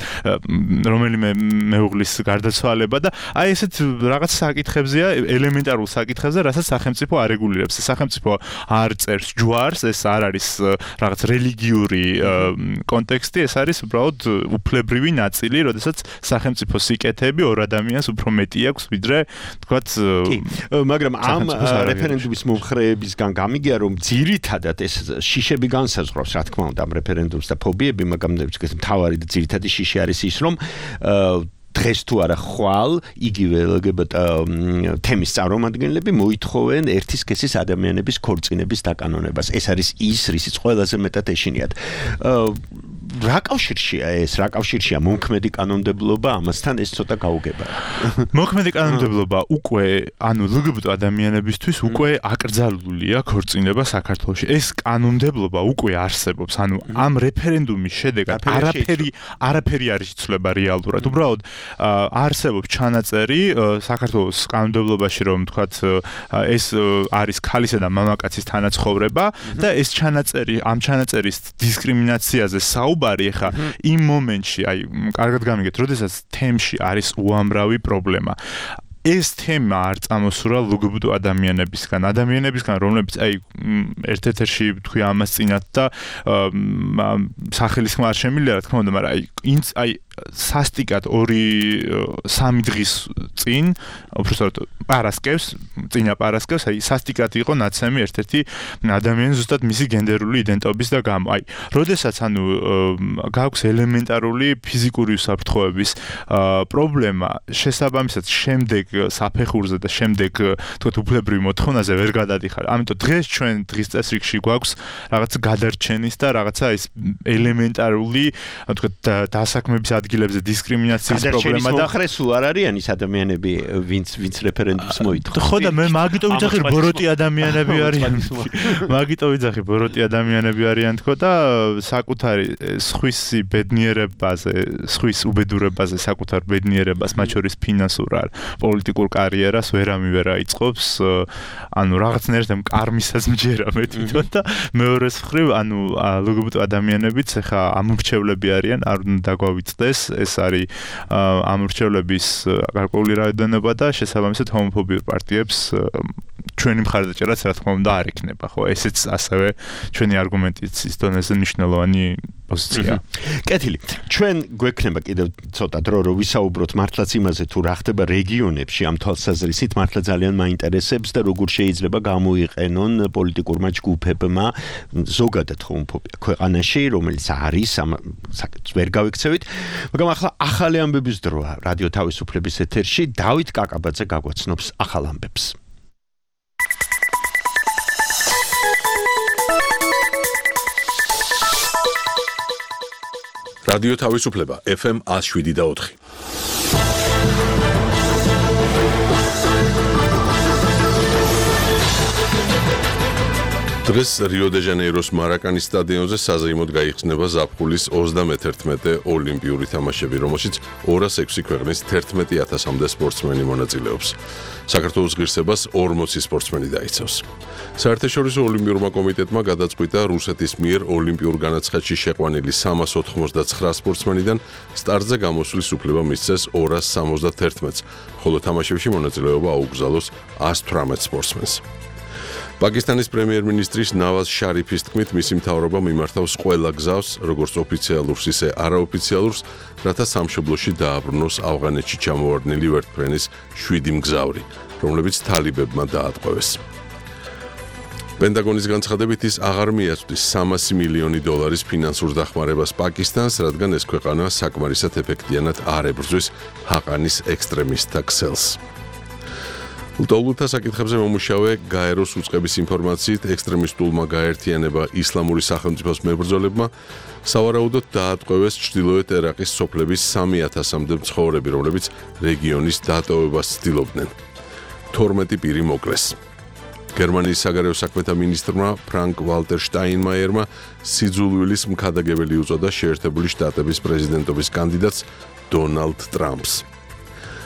რომელიმე მეუღლის გარდაცვალება და აი ესეთ რაღაც საკითხებზეა ელემენტარულ საკითხებზე, რასაც სახელმწიფო არ რეგულირებს. სახელმწიფო არ წერს ჯვარს, ეს არ არის რაღაც რელიგიური კონტექსტი, ეს არის უბრალოდ უფლებრივი ნაწილი, როდესაც სახელმწიფო სიკეთეები ორ ადამიანს უფრო მეტი აქვს, ვიდრე თქვათ მაგრამ ამ რეფერენდუმის მომხრეებისგან გამიგია რომ ძირითადად ეს შიშები განსაზღვრავს, რა თქმა უნდა, ამ რეფერენდუმს და ფობიები, მაგრამ მთავარი და ძირითადი შიში არის ის, რომ დღეს თუ არა ხვალ იგივე ელ გი ბი ტი თემის წარმომადგენლები მოითხოვენ ერთი სქესის ადამიანების ქორწინების დაკანონებას. ეს არის ის, რისიც ყველაზე მეტად ეშინიათ. რა კავშირშია ეს? რა კავშირშია მომქმედი კანონმდებლობა ამასთან? ეს ცოტა გაუგება. მომქმედი კანონმდებლობა უკვე, ანუ ელ გი ბი ტი ადამიანებისთვის უკვე აკრძალულია ქორწინება საქართველოში. ეს კანონმდებლობა უკვე არსებობს. ანუ ამ რეფერენდუმის შედეგად არაფერი არაფერი არ იცვლება რეალურად. უბრალოდ არსებობს ჩანაწერი საქართველოს კანონმდებლობაში, რომ თქვათ ეს არის ქალისა და მამაკაცის თანაცხოვრება და ეს ჩანაწერი ამ ჩანაწერის დისკრიმინაციაზე საუბარი ხა იმ მომენტში, აი კარგად გამიგეთ, როდესაც თემში არის უამრავი პრობლემა. ეს თემა არ წამოსურა ელ გი ბი ტი ადამიანებისგან, ადამიანებისგან, რომლებიც აი ერთ-ერთში თქვი ამას წინათ და სახელის ხმა არ შემილია, რა თქმა უნდა, მაგრამ აი ინც აი სასტიკად ორი სამი დღის წინ, უბრალოდ პარასკევს, წინა პარასკევს, აი სასტიკად იყო ნაცემი ერთ-ერთი ადამიანი ზუსტად მისი გენდერული იდენტობის და გამო. აი, როდესაც ანუ გაქვს ელემენტარული ფიზიკური უსაფრთხოების პრობლემა, შესაბამისად შემდეგ საფეხურზე და შემდეგ თქვათ უფლებრივი მოთხოვნაზე ვერ გადადიხარ. ამიტომ დღეს ჩვენ დღის წესრიგში გვაქვს რაღაც გადარჩენის და რაღაცა ეს ელემენტარული თქვათ დასაქმების ადგილებზე დისკრიმინაციის პრობლემა და მოხრესულ არ არიან ის ადამიანები, ვინც ვინც რეფერენდუმს მოითხოვს. ხო და მე მაგიტო ვიძახი ბოროტი ადამიანები არიან. მაგიტო ვიძახი ბოროტი ადამიანები არიან თქო და საკუთარი სხვისი ბედნიერებაზე, სხვის უბედურებაზე, საკუთარ ბედნიერებას, მათ შორის ფინანსურ არ პოლიტიკურ კარიერას ვერ ამივერა იწყობს, ანუ რაღაცნაირად კარმისაც მჯერა მე თვითონ და მეორეს მხრივ, ანუ ელ გი ბი ტი ადამიანებიც ხა ამორჩევლები არიან, არ უნდა დაგვავიწყდეს, ეს არის ამორჩევლების გარკვეული რაოდენობა და შესაბამისად ჰომოფობიურ პარტიებს ჩვენი მხარდაჭერაც რა თქმა უნდა არ იქნება, ხო? ესეც ასევე ჩვენი არგუმენტაციის დონეზე მნიშვნელოვანი პოზიცია. კეთილი. ჩვენ გვექნება კიდევ ცოტა დრო რომ ვისაუბროთ მართლაც იმაზე თუ რა ხდება რეგიონებში ამ თვალსაზრისით, მართლა ძალიან მაინტერესებს და როგორ შეიძლება გამოიყენონ პოლიტიკურმა ჯგუფებმა ზოგადად ჰომოფობია ქვეყანაში, რომელიც არის ამ საკითხს ვერ გავიქცევით, მაგრამ ახლა ახალი ამბების დროა რადიო თავისუფლების ეთერში. დავით კაკაბაძე გაგვაცნობს ახალ ამბებს. რადიო თავისუფლება ეფ ემ one oh seven და four. დღეს რიო-დე-ჟანეიროს მარაკანის სტადიონზე საზეიმოდ გაიხსნება ზაფხულის ოცდამეთერთმეტე ოლიმპიური თამაშები, რომელშიც ორას ექვსი ქვეყნის თერთმეტი ათასამდე სპორტსმენი მონაწილეობს. საქართველოს ღირსებას ორმოცი სპორტსმენი დაიცავს. საერთაშორისო ოლიმპიურმა კომიტეტმა გადაწყვიტა რუსეთის მიერ ოლიმპიურ განაცხადში შეყვანილი სამას ოთხმოცდაცხრა სპორტსმენიდან სტარტზე გამოსვლის უფლება მისცეს ორას სამოცდათერთმეტს, ხოლო თამაშებში მონაწილეობა აუგზავნოს one hundred eighteen სპორტსმენს. პაკისტანის პრემიერ-მინისტრის ნავაზ შარიფის თქმით, მისი მთავრობა მიმართავს ყველა გზავს, როგორც ოფიციალურს, ისე არაოფიციალურს, რათა სამშობლოში დააბრუნოს ავღანეთში ჩამოვარდნილი ვერტმფრენის შვიდი მგზავრი, რომლებიც თალიბებმა დაატყვევეს. პენტაგონის განცხადებით ის აღარ მიაწვდის სამასი მილიონი დოლარის ფინანსურ დახმარებას პაკისტანს, რადგან ეს ქვეყანა საკმარისად ეფექტიანად არ ებრძვის ჰაყანის ექსტრემისტთა ქსელს. ლტოლვილთა საკითხებზე მომუშავე გაეროს უწყების ინფორმაციით, ექსტრემისტულმა გაერთიანება ისლამური სახელმწიფოს მებრძოლებმა სავარაუდოდ დაატყვევეს ჩრდილოეთ ერაყის სოფლების სამი ათასამდე მცხოვრები, რომლებიც რეგიონის დატოვებას ცდილობდნენ. თორმეტი პირი მოკლეს. გერმანიის საგარეო საქმეთა მინისტრმა ფრანკ ვალტერ შტაინმაიერმა სიძულვილის მქადაგებელი უწოდა შეერთებული შტატების პრეზიდენტობის კანდიდატს დონალდ ტრამპს.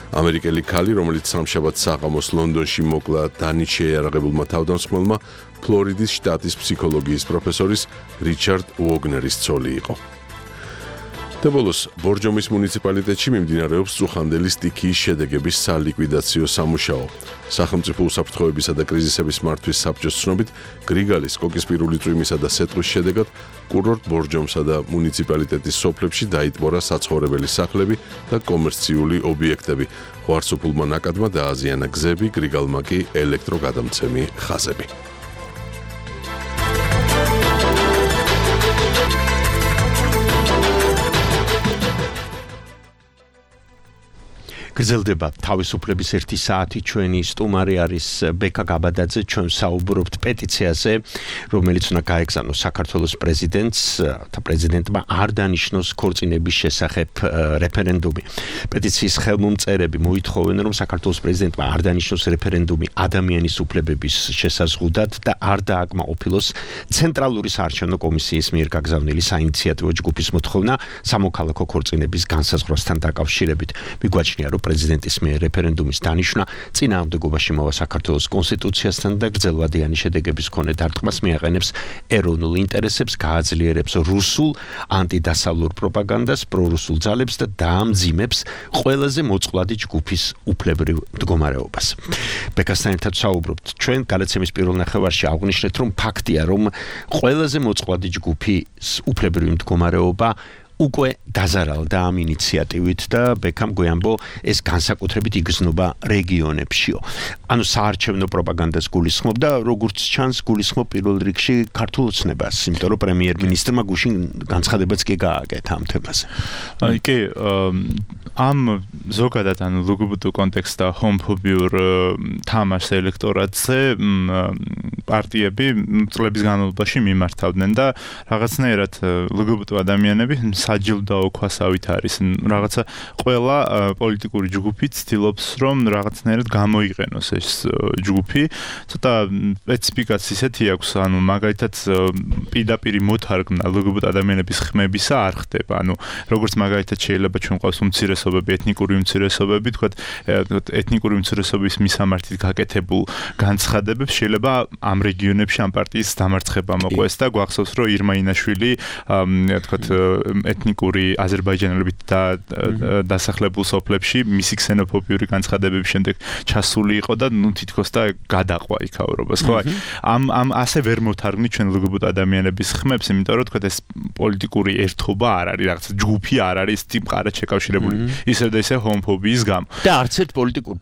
ამერიკელი ქალი, რომელიც სამშაბათს საღამოს ლონდონში მოკლა დანით შეიარაღებულმა თავდამსხმელმა, ფლორიდის შტატის ფსიქოლოგიის პროფესორის რიჩარდ უოგნერის ცოლი იყო. დაბოლოს, ბორჯომის მუნიციპალიტეტში მიმდინარეობს წუხანდელი სტიქიის შედეგების სალიკვიდაციო სამუშაო. სახელმწიფო უსაფრთხოებისა და კრიზისების მართვის საბჭოს ცნობით, გრიგალის, კოკისპირული წვიმისა და სეტყვის შედეგად კურორტ ბორჯომსა და მუნიციპალიტეტის სოფლებში დაიტბორა საცხოვრებელი სახლები და კომერციული ობიექტები. ხوارსოფულმა ნაკადმა დააზიანა გზები, გრიგალმა კი ელექტროგადამცემი ხაზები. გრძელდება თავისუფლების ერთი საათი, ჩვენი სტუმარი არის ბეკა გაბადაძე, ჩვენ საუბრობთ პეტიციაზე, რომელიც უნდა გაეგზავნოს საქართველოს პრეზიდენტს და პრეზიდენტმა არ დანიშნოს ქორწინების შესახებ რეფერენდუმი. პეტიციის ხელმომწერები მოითხოვენ, რომ საქართველოს პრეზიდენტმა არ დანიშნოს რეფერენდუმი ადამიანის უფლებების შესაზღუდად და არ დააკმაყოფილოს ცენტრალური საარჩევნო კომისიის მიერ გაგზავნილი საინიციატივო ჯგუფის მოთხოვნა სამოქალაქო ქორწინების განსაზღვრასთან დაკავშირებით. მიგვაჩნია, რომ პრეზიდენტის მიერ რეფერენდუმის დანიშნა წინააღმდეგობაში მოვა საქართველოს კონსტიტუციასთან და გრძელვადიანი შედეგების მქონე დარტყმას მიაყენებს ეროვნულ ინტერესებს, გააძლიერებს რუსულ ანტიდასავლურ პროპაგანდას, პრორუსულ ძალებს და დაამძიმებს ყველაზე მოწყვლადი ჯგუფის უფლებრივ მდგომარეობას. ბეკასთან ერთად საუბრობთ. ჩვენ გადაცემის პირველ ნახევარში აღვნიშნეთ, რომ ფაქტია, რომ ყველაზე მოწყვლადი ჯგუფის უფლებრივი მდგომარეობა უკვე დაზარალდა ამ ინიციატივით და ბეკამ გვიამბო ეს განსაკუთრებით იგრძნობა რეგიონებშიო. ანუ საარჩევნო პროპაგანდას გულისხმობ და როგორც ჩანს გულისხმობ პირველ რიგში ქართულ ოცნებას, იმიტომ რომ პრემიერ-მინისტრმა გუშინ განცხადებაც კი გააკეთა ამ თემაზე. აი კი ამ ზოგადად ანუ ლგბტ კონტექსტ და ჰომოფობიურ თამაშს ელექტორატზე პარტიები წლების განმავლობაში მიმართავდნენ და რაღაცნაირად ლგბტ ადამიანები საჯილდაო ქვასავით არის რაღაცა ყველა პოლიტიკური ჯგუფი ცდილობს რომ რაღაცნაირად გამოიყენოს ეს ჯგუფი ცოტა სპეციფიკაც ისეთი აქვს ანუ მაგალითად პირდაპირ მოთარგმნა ლგბტ ადამიანების ხმებისა არ ხდება ანუ როგორც მაგალითად შეიძლება ჩვენ ყავს უმცირესობები ეთნიკური უმცირესობები თქვათ ეთნიკური უმცირესობის მისამართით გაკეთებულ განცხადებებს შეიძლება ამ რეგიონებში ამ პარტიის დამარცხება მოყვეს და გვახსოვს რომ ირმა ინაშვილი თქვათ ეთნიკური აზერბაიჯანელებით და დასახლებულ სოფლებში მისი ქსენოფობიური განცხადებების შემდეგ ჩასული იყო და ნუ თითქოს და გადაყვა იქაურობას ხო ამ ამ ასე ვერ მოთარგმნით ჩვენ ლგბტ ადამიანების ხმებს იმიტომ რომ თქვა ეს პოლიტიკური ერთობა არ არის რაღაც ჯგუფი არ არის ტიპყარად შეკავშირებული ისე და ისე ჰომოფობიის გამო და არც ერთ პოლიტიკურ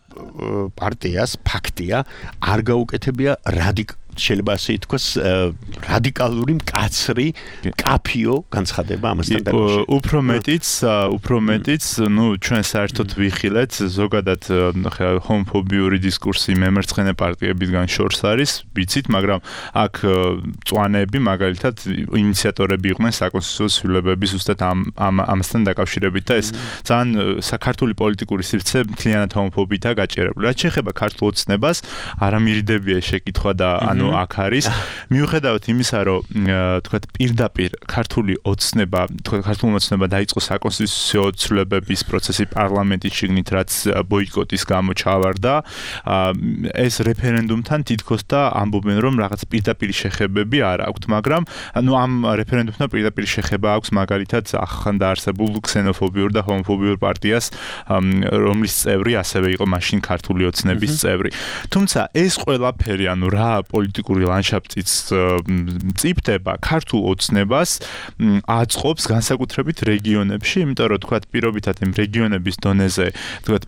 პარტიას ფაქტია არ გაუკეთებია რადიკ შეიძლება ასე ითქვას რადიკალური მკაცრი კაფიო განცხადება ამასთან დაკავშირებით. უფრო მეტიც, უფრო მეტიც, ნუ ჩვენ საერთოდ ვიხილეთ ზოგადად ჰომოფობიური დისკურსი მემარცხენე პარტიებიდან შორს არის, ვიცით, მაგრამ აქ წვანები მაგალითად ინიციატორები იყვნენ საკონსტიტუციო ცვლილებების ზუსტად ამ ამასთან დაკავშირებით და ეს ძალიან საქართველოს პოლიტიკური სივრცე მთლიანად ჰომოფობიითაა გაჭერებული. რაც შეეხება ქართულ ოცნებას, არა მირიდებია შეკითხვა და ანუ აქ არის მიუხედავად იმისა რომ თქვათ პირდაპირ ქართული ოცნება თქვათ ქართული ოცნება დაიწყო საკონსტიტუციო ცვლილებების პროცესი პარლამენტის შიგნით რაც ბოიკოტის გამო ჩავარდა ეს რეფერენდუმთან თითქოს და ამბობენ რომ რაღაც პირდაპირ შეხებები არ აქვთ მაგრამ ანუ ამ რეფერენდუმთან პირდაპირ შეხება აქვს მაგალითად ახალ დაარსებულ ქსენოფობიურ და ჰომოფობიურ პარტიას რომლის წევრი ასევე იყო მაშინ ქართული ოცნების წევრი თუმცა ეს ყველაფერი ანუ რა პოლიტიკ პოლიტიკური ლანდშაფტიც მწიფდება ქართულ ოცნებას აწყობს განსაკუთრებით რეგიონებში, იმიტომ რომ თქვათ პირობითად იმ რეგიონების დონეზე თქვათ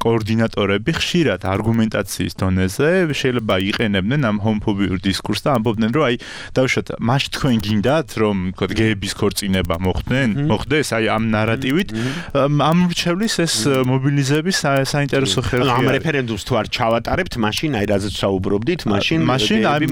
კოორდინატორები ხშირად არგუმენტაციის დონეზე შეიძლება იყენებდნენ ამ ჰომოფობიურ დისკურსს და ამბობდნენ რომ აი დავუშვათ მაშ თქვენ გინდათ რომ თქვათ გეების ქორწინება მოხდნენ მოხდეს აი ამ ნარატივით ამ რჩევლის ეს მობილიზების საინტერესო ხერხია ამ რეფერენდუმს თუ არ ჩავატარებთ მაშინ აი რაზეც საუბრობდით მაშინ მაშინ აი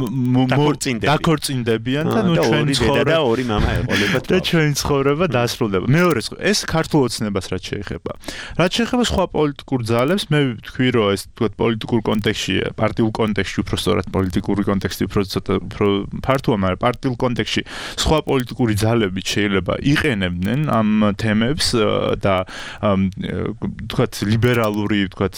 დაქორწინდებიან და ნუ ჩვენ ცხოვრება და ორი მამა ეყოლებათ და ჩვენ ცხოვრება დასრულდება მეორე ეს ქართულ ოცნებას რაც შეეხება რაც შეეხება სხვა პოლიტიკურ ძალებს მე ვთქვი რომ ეს თქვათ პოლიტიკურ კონტექსტში პარტიულ კონტექსტში უფრო სწორად პოლიტიკური კონტექსტი უფრო ფართოა მაგრამ პარტიულ კონტექსტში სხვა პოლიტიკური ძალები შეიძლება იყენებდნენ ამ თემებს და თქვათ ლიბერალური თქვათ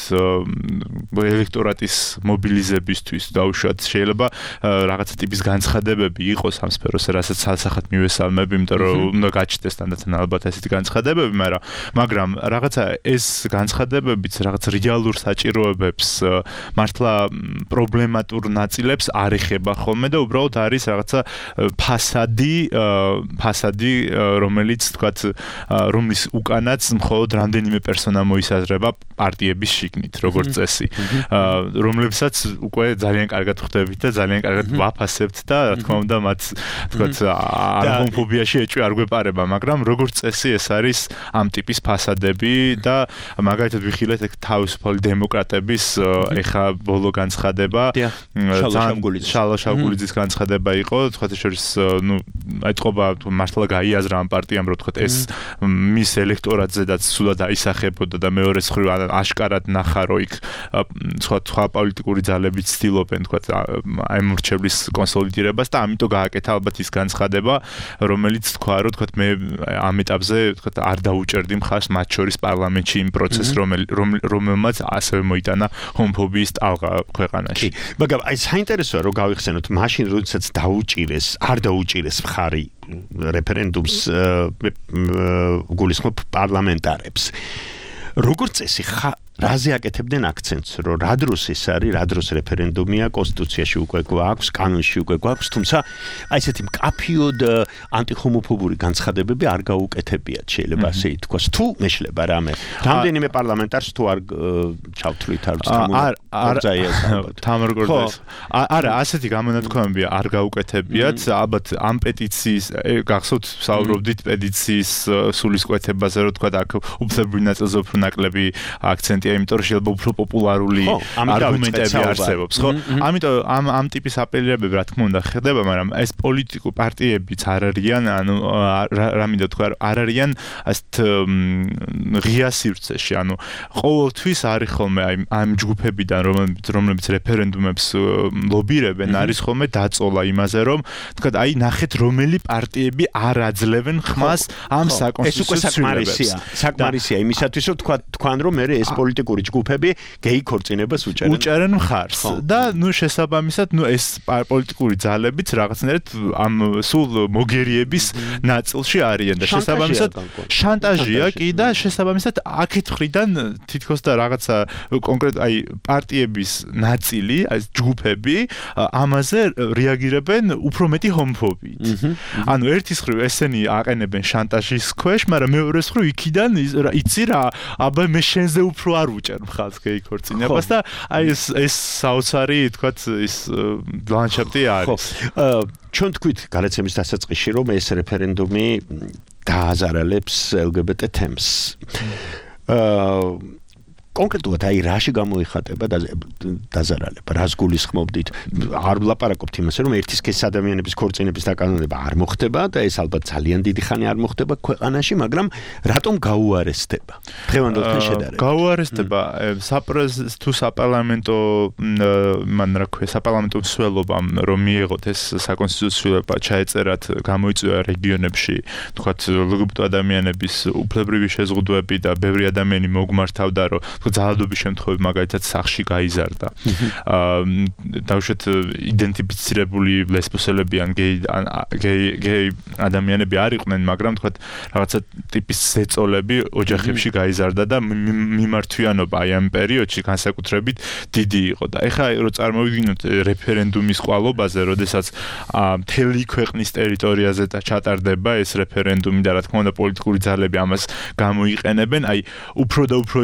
ელექტორატის მობილიზებისთვის დაუშვათ შეიძლება რაღაცა ტიპის განცხადებები იყოს ამ სფეროზე რასაც სასახად მივესალმებ იმიტომ რომ უნდა გაჩნდეს თანდათან ალბათ ესეთი განცხადებები მაგრამ მაგრამ რაღაცა ეს განცხადებებიც რაღაც რეალურ საჭიროებებს მართლა პრობლემატურ ნაწილებს არ ეხება ხოლმე და უბრალოდ არის რაღაცა ფასადი ფასადი რომელიც თქვათ რომლის უკანაც მხოლოდ რამდენიმე პერსონა მოისაზრება პარტიების შიგნით როგორც წესი რომლებსაც უკვე ძალიან კარგად ხვდებით და ძალიან კარგად ვაფასებთ და რა თქმა უნდა მათ თქვათ ჰომოფობიაში ეჭვი არ გვეპარება მაგრამ როგორც წესი ეს არის ამ ტიპის ფასადები და მაგალითად ვიხილეთ ეგ თავისუფალი დემოკრატების ეხა ბოლო განცხადება შალვა შავგულიძის განცხადება იყო თქვათ შორის ნუ აიტყობა მართლა გაიაზრა ამ პარტიამ რომ თქვათ ეს მის ელექტორატზედაც სულად აისახებოდა და მეორე მხრივ აშკარად ნახა რომ იქ სხვა სხვა პოლიტიკური ძალები ცდილობენ თქვათ აი მრჩევლის კონსოლიდირებას და ამიტომ გააკეთა ალბათ ის განცხადება რომელიც თქვა რომ თქვათ მე ამ ეტაპზე თქვათ არ დაუჭერდი მხარს მათ შორის პარლამენტში იმ პროცესს რომელმაც ასევე მოიტანა ჰომოფობიის ტალღა ქვეყანაში. მაგრამ აი საინტერესოა რომ გავიხსენოთ მაშინ როდესაც დაუჭირეს არ დაუჭირეს მხარი რეფერენდუმს გულისხმობ პარლამენტარებს როგორც წესი რაზე აკეთებდნენ აქცენტს რომ რა დროს ეს არის რა დროს რეფერენდუმია კონსტიტუციაში უკვე გვაქვს კანონში უკვე გვაქვს თუმცა აი ესეთი მკაფიოდ ანტიხომოფობური განცხადებები არ გაუკეთებიათ შეიძლება ასე ითქვას თუ მეშლება რამე რამდენიმე პარლამენტარს თუ არ ჩავთვლით არ თამრგორდეს არა ასეთი გამონათქვამები არ გაუკეთებიათ ალბათ ამ პეტიციის გახსოვთ საუბრობდით პეტიციის სულისკვეთებაზე რომ თქვა აქ უფლებრივ ნაწილზე უფრო ნაკლები აქცენტი იმიტომ რომ შეიძლება უფრო პოპულარული არგუმენტები არსებობს, ხო? ამიტომ ამ ამ ტიპის აპელირებები რა თქმა უნდა ხდება, მაგრამ ეს პოლიტიკურ პარტიებიც არ არიან, ანუ რა მინდა თქვა, არ არიან ასეთ ღია სივრცეში, ანუ ყოველთვის არის ხოლმე აი ამ ჯგუფებიდან რომლებიც რომლებიც რეფერენდუმებს ლობირებენ, არის ხოლმე დაწოლა იმაზე, რომ თქვა აი ნახეთ რომელი პარტიები არ აძლევენ ხმას ამ საკონსტიტუციო ცვლილებებს. საკმარისია იმისათვის, რომ თქვა თქვან რომ მე ეს პოლიტიკური ჯგუფები გეი ქორწინებას უჭერენ. უჭერენ მხარს და ნუ შესაბამისად ნუ ეს პოლიტიკური ძალებიც რაღაცნაირად ამ სულ მოგერიების ნაწილში არიან და შესაბამისად შანტაჟია კი და შესაბამისად აქეთ ხრიდან თითქოს და რაღაცა კონკრეტ აი პარტიების ნაწილი აი ჯგუფები ამაზე რეაგირებენ უფრო მეტი ჰომოფობიით. ანუ ერთის მხრივ ესენი აყენებენ შანტაჟის ქვეშ, მაგრამ მეორეს მხრივ იქიდან იცი რა აბა მე შენზე უფრო არ უჭერ მხალს გეი ქორწინებას და აი ეს ეს საოცარი თქვათ ის ლანდშაფტი არის. ჩვენ თქვით გადაცემის დასაწყისში რომ ეს რეფერენდუმი დააზარალებს ელ გი ბი ტი თემს. აა კონკრეტულად აი რაში გამოიხატება დაზარალება, რას გულისხმობდით? არ ვლაპარაკობთ იმაზე, რომ ერთი სქესის ადამიანების ქორწინების დაკანონება არ მოხდება და ეს ალბათ ძალიან დიდი ხანი არ მოხდება ქვეყანაში, მაგრამ რატომ გაუარესდება? დღევანდელთან შედარებით. გაუარესდება საპრეზიდენტო თუ საპარლამენტო მან რა ქვია, საპარლამენტო მსვლელობამ რომ მიიღოთ ეს საკონსტიტუციო ჩაეწერათ, გამოიწვია რეგიონებში, თქვათ ლგბტ ადამიანების უფლებრივი შეზღუდვები და ბევრი ადამიანი მოგმართავდა, რომ თქო ძალადობის შემთხვევები მაგალითად სახში გაიზარდა. აა დავუშვათ იდენტიფიცირებული ლესბოსელები ან გეი გეი ადამიანები არ იყვნენ, მაგრამ თქო რაღაცა ტიპის ზეწოლები ოჯახებში გაიზარდა და მიმართვიანობა აი ამ პერიოდში განსაკუთრებით დიდი იყო და ეხლა რო წარმოვიდგინოთ რეფერენდუმის ყვალობაზე, როდესაც მთელი ქვეყნის ტერიტორიაზე ჩატარდება ეს რეფერენდუმი და რა თქმა უნდა პოლიტიკური ძალები ამას გამოიყენებენ, აი უფრო და უფრო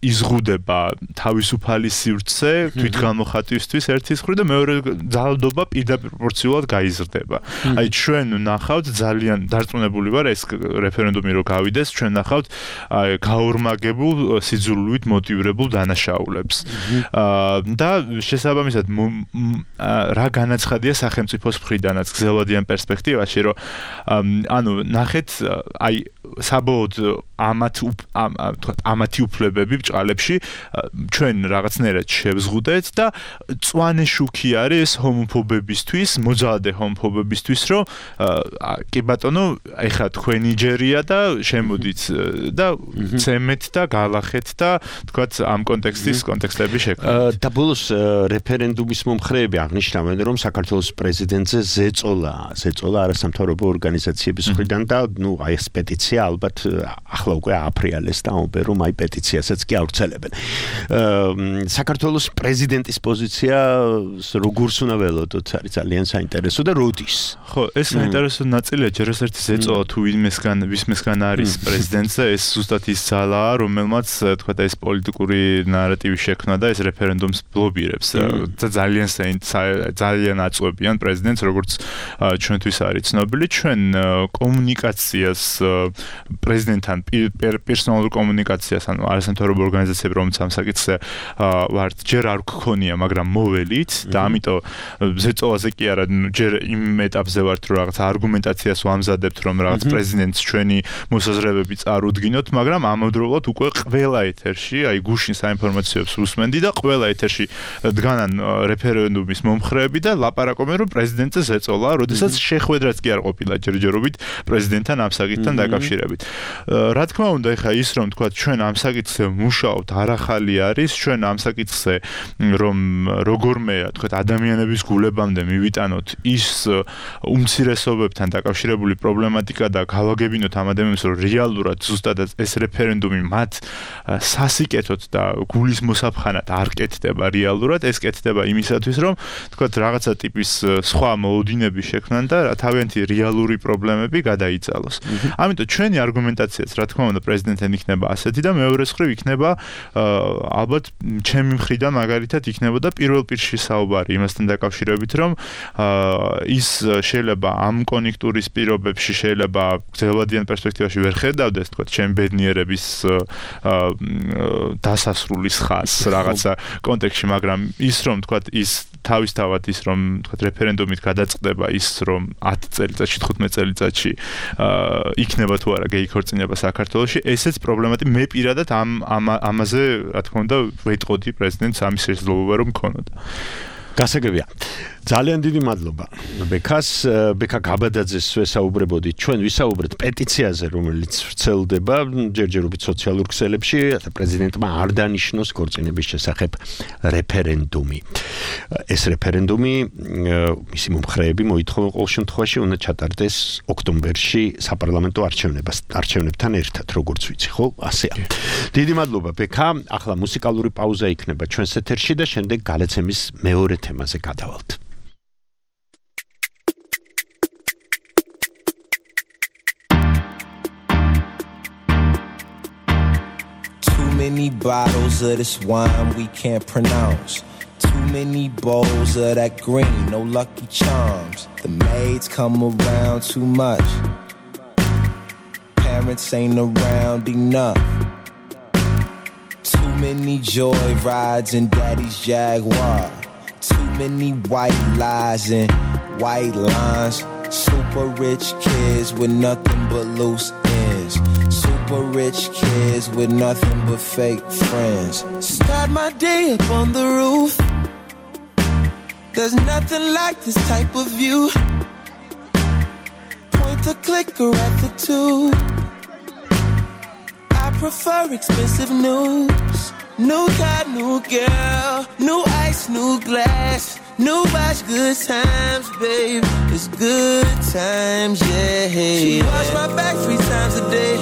იზღუდება თავისუფალი სივრცე თვითგამოხატვისთვის ერთის მხრივ და მეორე ძალადობა პირდაპირ პროპორციულად გაიზრდება. აი ჩვენ ნახავთ ძალიან დარწმუნებული ვარ ეს რეფერენდუმი რო გავიდეს, ჩვენ ნახავთ აი გაორმაგებულ სიძულვით მოტივირებულ დანაშაულებს. და შესაბამისად რა განაცხადია სახელმწიფოს მხრიდანაც გრძელვადიან პერსპექტივაში, რომ ანუ ნახეთ აი საბოლოოდ ამათ ამათი უფლებები ბჭყალებში ჩვენ რაღაცნაირად შევზღუდეთ და წვანე შუქი არის ჰომოფობებისთვის, მოძალადე ჰომოფობებისთვის, რომ კი ბატონო, ეხლა თქვენი ჯერია და შემოდით და ცემეთ და გალახეთ და თქვათ ამ კონტექსტის კონტექსტები შექმნით. და ბოლოს რეფერენდუმის მომხრეები აღნიშნავენ, რომ საქართველოს პრეზიდენტზე ზეწოლა, ზეწოლა არასამთავრობო ორგანიზაციების მხრიდან და ნუ აი ეს პეტიცია ალბათ ახლა უკვე ააფრიალეს და ამბობენ, რომ აი პეტიციასაც კი ავრცელებენ. საქართველოს პრეზიდენტის პოზიცია როგორს უნდა ველოდოთ, არის ძალიან საინტერესო და როდის? ხო, ეს საინტერესო ნაწილია, ჯერ ეს ერთი ზეწოლა თუ ვისმესგან ვისმესგან არის პრეზიდენტზე, ეს ზუსტად ის ძალაა, რომელმაც თქვა და ეს პოლიტიკური ნარატივი შექმნა და ეს რეფერენდუმს ბლოკირებს. ძალიან ძალიან აწვევიან პრეზიდენტს, როგორც ჩვენთვის არის ცნობილი, ჩვენ კომუნიკაციას პრეზიდენტთან პერსონალურ კომუნიკაციას ან არასამთავრობო ორგანიზაციები, რომელიც ამ საკითხზე ვართ, ჯერ არ გქონია, მაგრამ მოველით და ამიტომ ზეწოლაზე კი არა, ჯერ იმ ეტაპზე ვართ, რომ რაღაც არგუმენტაციას ვამზადებთ, რომ რაღაც პრეზიდენტს ჩვენი მოსაზრებები წარუდგინოთ, მაგრამ ამავდროულად უკვე ყველა ეთერში, აი გუშინ საინფორმაციოებს უსმენდი და ყველა ეთერში დგანან რეფერენდუმის მომხრეები და ლაპარაკობენ, რომ პრეზიდენტზე ზეწოლა, როდესაც შეხვედრაც კი არ ყოფილა ჯერჯერობით პრეზიდენტთან ამ საკითხთან დაკავშირებით. რა თქმა უნდა, ეხლა ის რომ თქვა ჩვენ ამ საკითხზე მუშაობთ, არახალი არის, ჩვენ ამ საკითხზე რომ როგორმე თქვა ადამიანების გულებამდე მივიტანოთ ის უმცირესობებთან დაკავშირებული პრობლემატიკა და გავაგებინოთ ამ ადამიანებს, რომ რეალურად ზუსტად ეს რეფერენდუმი მათ სასიკეთოდ და გულის მოსაფხანად არ კეთდება რეალურად, ეს კეთდება იმისათვის, რომ თქვა რაღაცა ტიპის სხვა მოუდინები შექმნან და თავიანთი რეალური პრობლემები გადაიწალოს. ამიტომ ჩვენი არგუმენტაციაც, რა თქმა უნდა, პრეზიდენტთან იქნება ასეთი და მეორე მხრივ იქნება ალბათ ჩემი მხრიდან მაგალითად იქნებოდა პირველ პირში საუბარი იმასთან დაკავშირებით, რომ ის შეიძლება ამ კონjunქტურის პირობებში შეიძლება გრძელვადიან პერსპექტივაში ვერ ხედავდეს, თქვა, ჩემ ბედნიერების დასასრულის ხაზს რაღაცა კონტექსტში, მაგრამ ის რომ თქვა ის თავისთავად ის რომ თქვა რეფერენდუმით გადაწყდება ის რომ ათი წელიწადში თხუთმეტ წელიწადში იქნება თუ არა გეი ქორწინება საქართველოში, ესეც პრობლემატი მე პირადად ამ ამაზე რა თქმა უნდა ვეტყოდი პრეზიდენტს ამის შესაძლებლობა რომ მქონოდა. გასაგებია. ძალიან დიდი მადლობა. ბექას ბექა გაბადაძეს ვესაუბრებოდი. ჩვენ ვისაუბრეთ პეტიციაზე, რომელიც ვრცელდება ჯერჯერობით სოციალურ ქსელებში, რათა პრეზიდენტმა არ დანიშნოს ქორწინების შესახებ რეფერენდუმი. ეს რეფერენდუმი მისი მომხრეები მოითხოვენ ყოველ შემთხვევაში უნდა ჩატარდეს ოქტომბერში საპარლამენტო არჩევნებას არჩევნებთან ერთად, როგორც ვიცი, ხო? ასეა. დიდი მადლობა ბექა. ახლა მუსიკალური პაუზა იქნება ჩვენს ეთერში და შემდეგ გალაცემის მეორე თემაზე გადავალთ. Many bottles of this wine we can't pronounce. Too many bowls of that green, no Lucky Charms. The maids come around too much. Parents ain't around enough. Too many joy rides in daddy's Jaguar. Too many white lies and white lines. Super rich kids with nothing but loose ends. Super rich kids with nothing but fake friends. Start my day up on the roof. There's nothing like this type of view. Point the clicker at the tube. I prefer expensive news. girl, new ice, new glass, new watch, good times, babe. It's good times, yeah. She wash my back three times a day.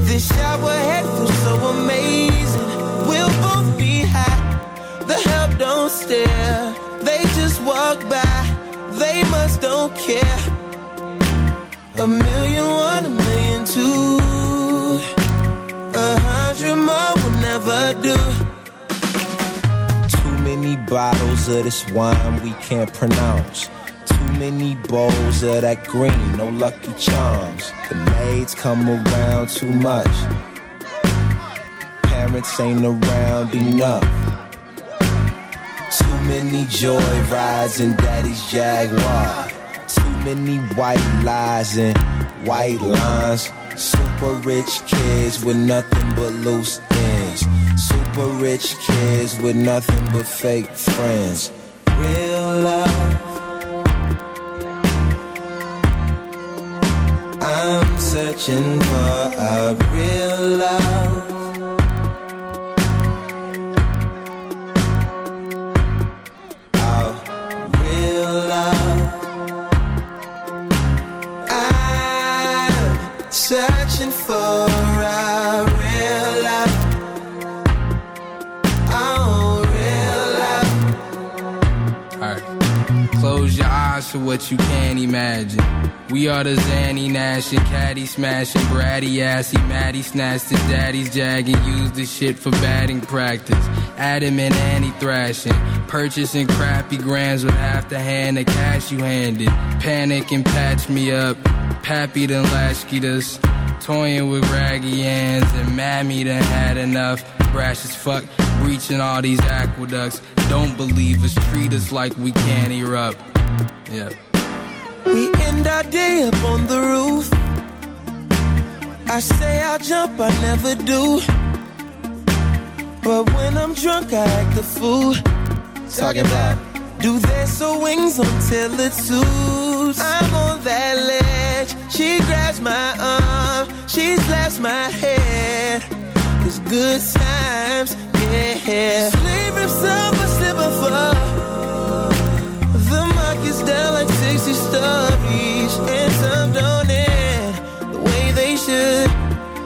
This shower head feels so amazing. We'll both be high. The help don't stare. They just walk by. They must don't care. A million one, a million two. A hundred more will never do. Too many bottles of this wine we can't pronounce. Too many bowls of that green, no Lucky Charms. The maids come around too much. Parents ain't around enough. Too many joy rides in Daddy's Jaguar. Too many white lies and white lines. Super rich kids with nothing but loose ends. Super rich kids with nothing but fake friends. Real love. I'm searching for a real love. Searching for a real love. Oh, real love. Alright, close your eyes for what you can't imagine. We are the Zanny Nash and Caddy smashing, bratty assy, Maddie snatched his daddy's jag and used the shit for batting practice. Adam and Annie thrashing, purchasing crappy grams with half the hand of cash you handed. Panic and patch me up. Pappy done latchkeyed us, toying with raggy hands, and Mammy done had enough. Brash as fuck, breaching all these aqueducts. Don't believe us, treat us like we can't erupt. Yeah. We end our day up on the roof. I say I'll jump, I never do. But when I'm drunk, I act the fool. Talking about, do their so wings until it suits. I'm on that ledge. She grabs my arm, she slaps my head. It's good times, yeah. Sleep rips up, I slip and fall. The market's down like sixty stories, and some don't end the way they should.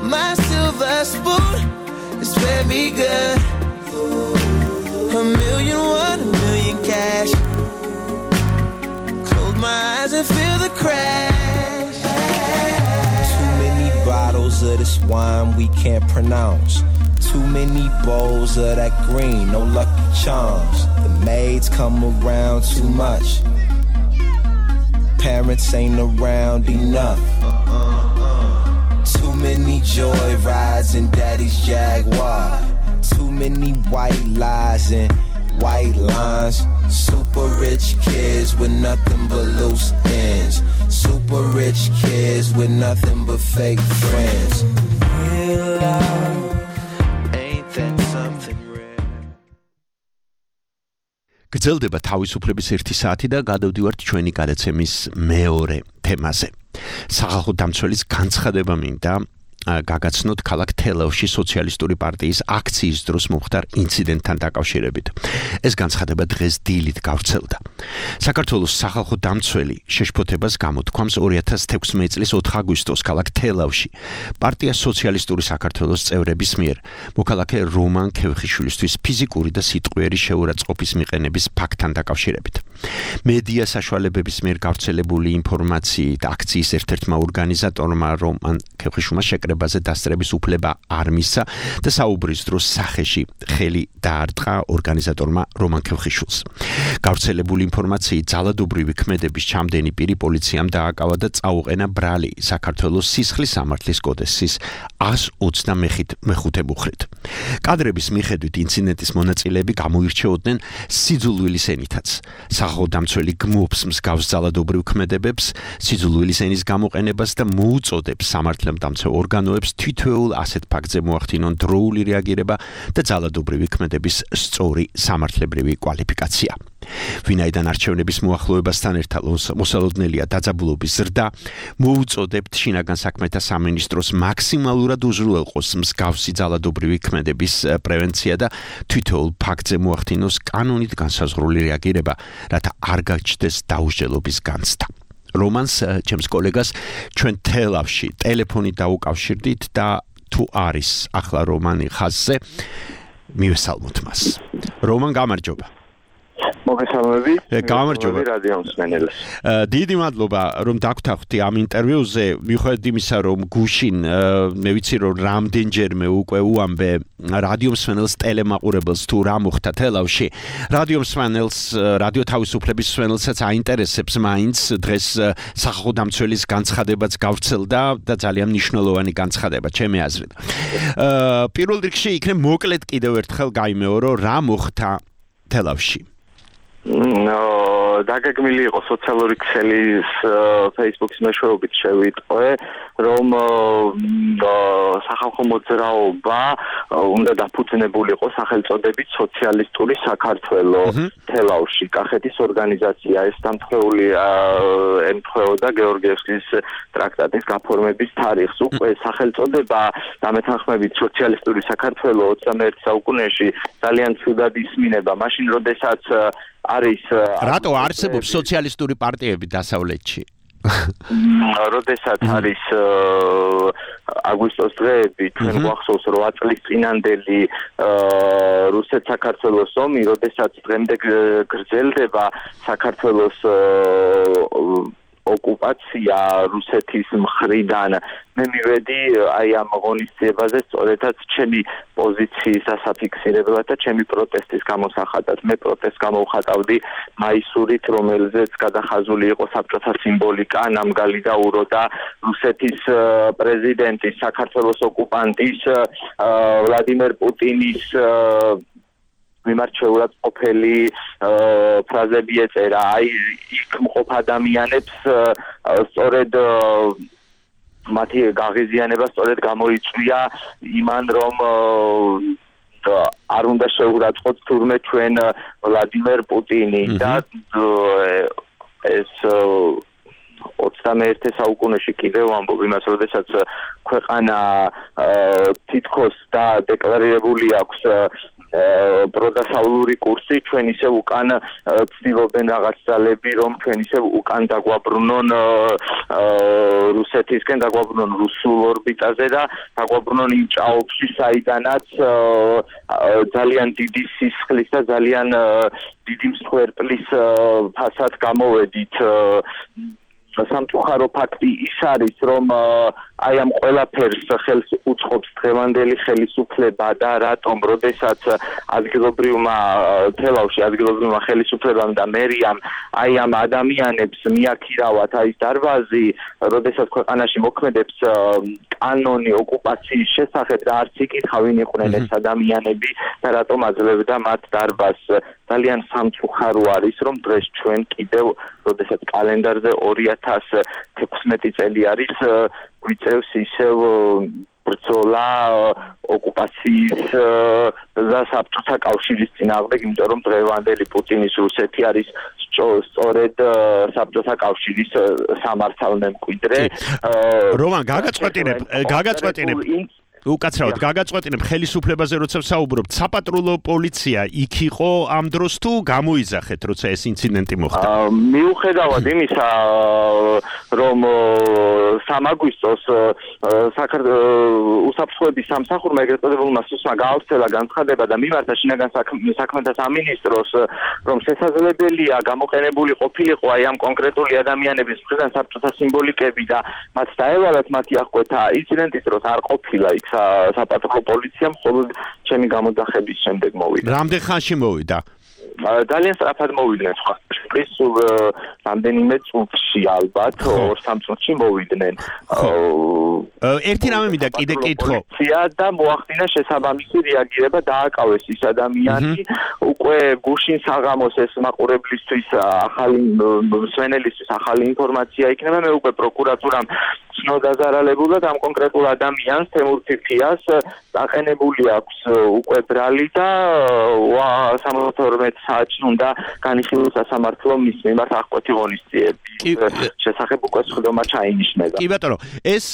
My silver spoon is fed me good. A million one, a million cash. Close my eyes and feel the crash. Too many bottles of this wine we can't pronounce. Too many bowls of that green, no Lucky Charms. The maids come around too much. Parents ain't around enough. Too many joy rides in Daddy's Jaguar. Too many white lies and white lines. Super rich kids with nothing but loose ends. Super rich kids with nothing but fake friends. Real love, ain't that something rare? გრძელდება თავისუფლების ერთი საათი და გადავდივართ ჩვენი გადაცემის მეორე თემაზე. სახალხო დამცველის განცხადება მინდა გაგაცნოთ ქალაქ თელავში სოციალისტური პარტიის აქციის დროს მომხდარ ინციდენტთან დაკავშირებით. ეს განცხადება დღეს დილით გავრცელდა. საქართველოს სახალხო დამცველი შეშფოთებას გამოთქვამს ორი ათას თექვსმეტი წლის ოთხ აგვისტოს ქალაქ თელავში პარტია სოციალისტური საქართველოს წევრების მიერ მოქალაქე რომან ქევხიშვილისთვის ფიზიკური და სიტყვიერი შეურაცხყოფის მიყენების ფაქტთან დაკავშირებით. მედია საშუალებების მიერ გავრცელებული ინფორმაციით აქციის ერთ-ერთმა ორგანიზატორმა რომან ქევხიშვილმა შეკრებაზე დასწრების უფლება არ მისცა და საუბრის დროს სახეში ხელი დაარტყა ორგანიზატორმა რომან ქევხიშვილს. გავრცელებული ინფორმაციით ძალადობრივი ქმედების ჩამდენი პირი პოლიციამ დააკავა და წაუყენა ბრალი საქართველოს სისხლის სამართლის კოდექსის ას ოცდამეხუთე მუხრით. კადრების მიხედვით ინციდენტის მონაწილეები გამოირჩეოდნენ სიძულვილის ენითაც. სახალხო დამცველი გმობს მსგავს ძალადობრივ ქმედებებს, სიძულვილის ენის გამოყენებას და მოუწოდებს სამართლებდამცავ ორგანოებს ორგანოებს თითოეულ ასეთ ფაქტზე მოახდინონ დროული რეაგირება და ძალადობრივი ქმედების სწორი სამართლებრივი კვალიფიკაცია. ვინაიდან არჩევნების მოახლოებასთან ერთად მოსალოდნელია დაძაბულობის ზრდა, მოუწოდებთ შინაგან საქმეთა სამინისტროს მაქსიმალურად უზრუნველყოს მსგავსი ძალადობრივი ქმედების პრევენცია და თითოეულ ფაქტზე მოახდინოს კანონით განსაზღვრული რეაგირება, რათა არ გაჩნდეს დაუსჯელობის განცდა. რომანს ჩემს კოლეგას ჩვენ თელავში ტელეფონით დაუკავშირდით და თუ არის ახლა რომანი ხაზზე, მივესალმოთ მას. რომან, გამარჯობა. მოგესალმები. გამარჯობა რადიო მსმენელს. დიდი მადლობა რომ დაგვრთახთი ამ ინტერვიუზე. მიუხედავად იმისა რომ გუშინ მე ვიცი რომ რამდენჯერმე უკვე უამბე რადიო მსმენელს ტელემაყურებელს თუ რა მოხდა თელავში. რადიო მსმენელს, რადიო თავისუფლების მსმენელსაც აინტერესებს მაინც დღეს სახალხო დამცველის განცხადებაც გავრცელდა და ძალიან მნიშვნელოვანი განცხადება ჩემი აზრით. პირველ რიგში იქნებ მოკლედ კიდევ ერთხელ გაიმეორო რა მოხდა თელავში. ნო დაგეგმილი იყო სოციალური ქსელის Facebook-ის მეშვეობით შევიტყვე, რომ სახალხო მოძრაობა უნდა დაფუძნებულიყო სახელწოდებით სოციალისტური საქართველო თელავში. კახეთის ორგანიზაცია ეს დამთხეული ემთხვეოდა გეორგიევსკის ტრაქტატის გაფორმების თარიღს. უკვე სახელწოდება დამეთანხმებით სოციალისტური საქართველო ოცდამეერთე საუკუნეში ძალიან ცუდად ისმინება. მაშინ როდესაც არის რატო არსებობს სოციალისტური პარტიები დასავლეთში? როდესაც არის აგვისტოს დღეები, ჩვენ გვახსოვს რვა წლის წინანდელი რუსეთ-საქართველოს ომი, როდესაც დღემდე გრძელდება საქართველოს ოკუპაცია რუსეთის მხრიდან. მე მივედი აი ამ ღონისძიებაზე სწორედაც ჩემი პოზიციის ასაფიქსირებლად და ჩემი პროტესტის გამოსახატად. მე პროტესტს გამოვხატავდი მაისურით, რომელზეც გადახაზული იყო საბჭოთა სიმბოლიკა, ნამგალი და უროდა რუსეთის პრეზიდენტის, საქართველოს ოკუპანტის ვლადიმერ პუტინის მიმარჩეულად ყოფილი ფრაზები ეწერა. აი იქ მყოფ ადამიანებს სწორედ მათი გაღიზიანება სწორედ გამოიწვია იმან, რომ არ უნდა შეურაცხყოთ თურმე ჩვენ ვლადიმერ პუტინი და ეს ოცდამეერთე საუკუნეში კიდევ ამბობ იმას, როდესაც ქვეყანა თითქოს და დეკლარირებული აქვს პროდასავლური კურსი, ჩვენ ისე უკან ცდილობენ რაღაც ძალები, რომ ჩვენ ისე უკან დაგვაბრუნონ რუსეთისკენ, დაგვაბრუნონ რუსულ ორბიტაზე და დაგვაბრუნონ იმ ჭაობში, საიდანაც ძალიან დიდი სისხლის და ძალიან დიდი მსხვერპლის ფასად გამოვედით. სამწუხარო ფაქტი ის არის, რომ აი ამ ყველაფერს ხელს უწყობს დღევანდელი ხელისუფლება და რატომ როდესაც ადგილობრივმა თელავში ადგილობრივმა ხელისუფლებამ და მერიამ აი ამ ადამიანებს მიაქირავათ აი დარბაზი, როდესაც ქვეყანაში მოქმედებს კანონი ოკუპაციის შესახებ და არც იკითხავენ იყვნენ ეს ადამიანები და რატომ აძლევდა მათ დარბაზს. ძალიან სამწუხარო არის, რომ დღეს ჩვენ კიდევ როდესაც კალენდარზე ორი ათას თექვსმეტი წელი არის, გვიწევს ისევ ბრძოლა ოკუპაციის და საბჭოთა კავშირის წინააღმდეგ, იმიტომ რომ დღევანდელი პუტინის რუსეთი არის სწორედ საბჭოთა კავშირის სამართალ მემკვიდრე. რომან, გაგაწყვეტინებ, გაგაწყვეტინებ უკაცრავად გაგაწყვეტინებ ხელისუფლებაზე როცა ვსაუბრობთ, საპატრულო პოლიცია იქ იყო ამ დროს თუ გამოიძახეთ, როცა ეს ინციდენტი მოხდა? მიუხედავად იმისა, რომ სამ აგვისტოს უსაფრთხოების სამსახურმა ეგრეთ წოდებულმა სუსმა გაავრცელა განცხადება და მიმართა შინაგან საქმეთა სამინისტროს, რომ შესაძლებელია გამოყენებული ყოფილიყო აი ამ კონკრეტული ადამიანების მხრიდან საბჭოთა სიმბოლიკები და მათ დაევალათ მათი აღკვეთა. ინციდენტის დროს არ ყოფილა იქ საპატრულო პოლიცია, მხოლოდ ჩემი გამოძახების შემდეგ მოვიდა. რამდენ ხანში მოვიდა? ძალიან სწრაფად მოვიდნენ სხვა სულ რამდენიმე წუთში ალბათ ორ სამ წუთში მოვიდნენ. ერთი რამე მინდა კიდე კითხო. და მოახდინა შესაბამისი რეაგირება, დააკავეს ის ადამიანი, უკვე გუშინ საღამოს ეს მაყურებლისთვის ახალი მსმენელისთვის ახალი ინფორმაცია იქნება. მე უკვე პროკურატურამ ცნო დაზარალებულად ამ კონკრეტულ ადამიანს თემურ ფიფიას დაყენებული აქვს უკვე ბრალი და სამოცდაორ საათში უნდა განიხილოს სასამართლო მის მიმართ აღკვეთი ღონისძიების შესახებ უკვე სხდომა ჩაინიშნება. კი ბატონო, ეს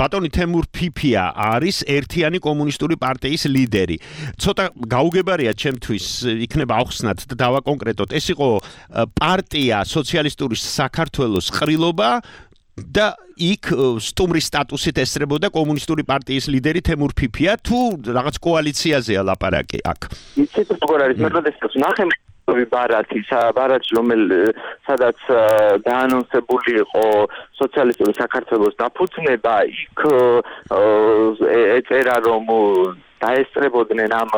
ბატონი თემურ ფიფია არის ერთიანი კომუნისტური პარტიის ლიდერი. ცოტა გაუგებარია ჩემთვის იქნება ახსნათ და დავაკონკრეტოთ. ეს იყო პარტია სოციალისტური საქართველოს ყრილობა და იქ სტუმრის სტატუსით ესწრებოდა კომუნისტური პარტიის ლიდერი თემურ ფიფია თუ რაღაც კოალიციაზეა ლაპარაკი აქ. იცით როგორ არის მე როდესაც ნახე ბარათი, ბარათში რომელ სადაც დაანონსებული იყო სოციალისტური საქართველოს დაფუძნება, იქ ეწერა რომ დაესწრებოდნენ ამ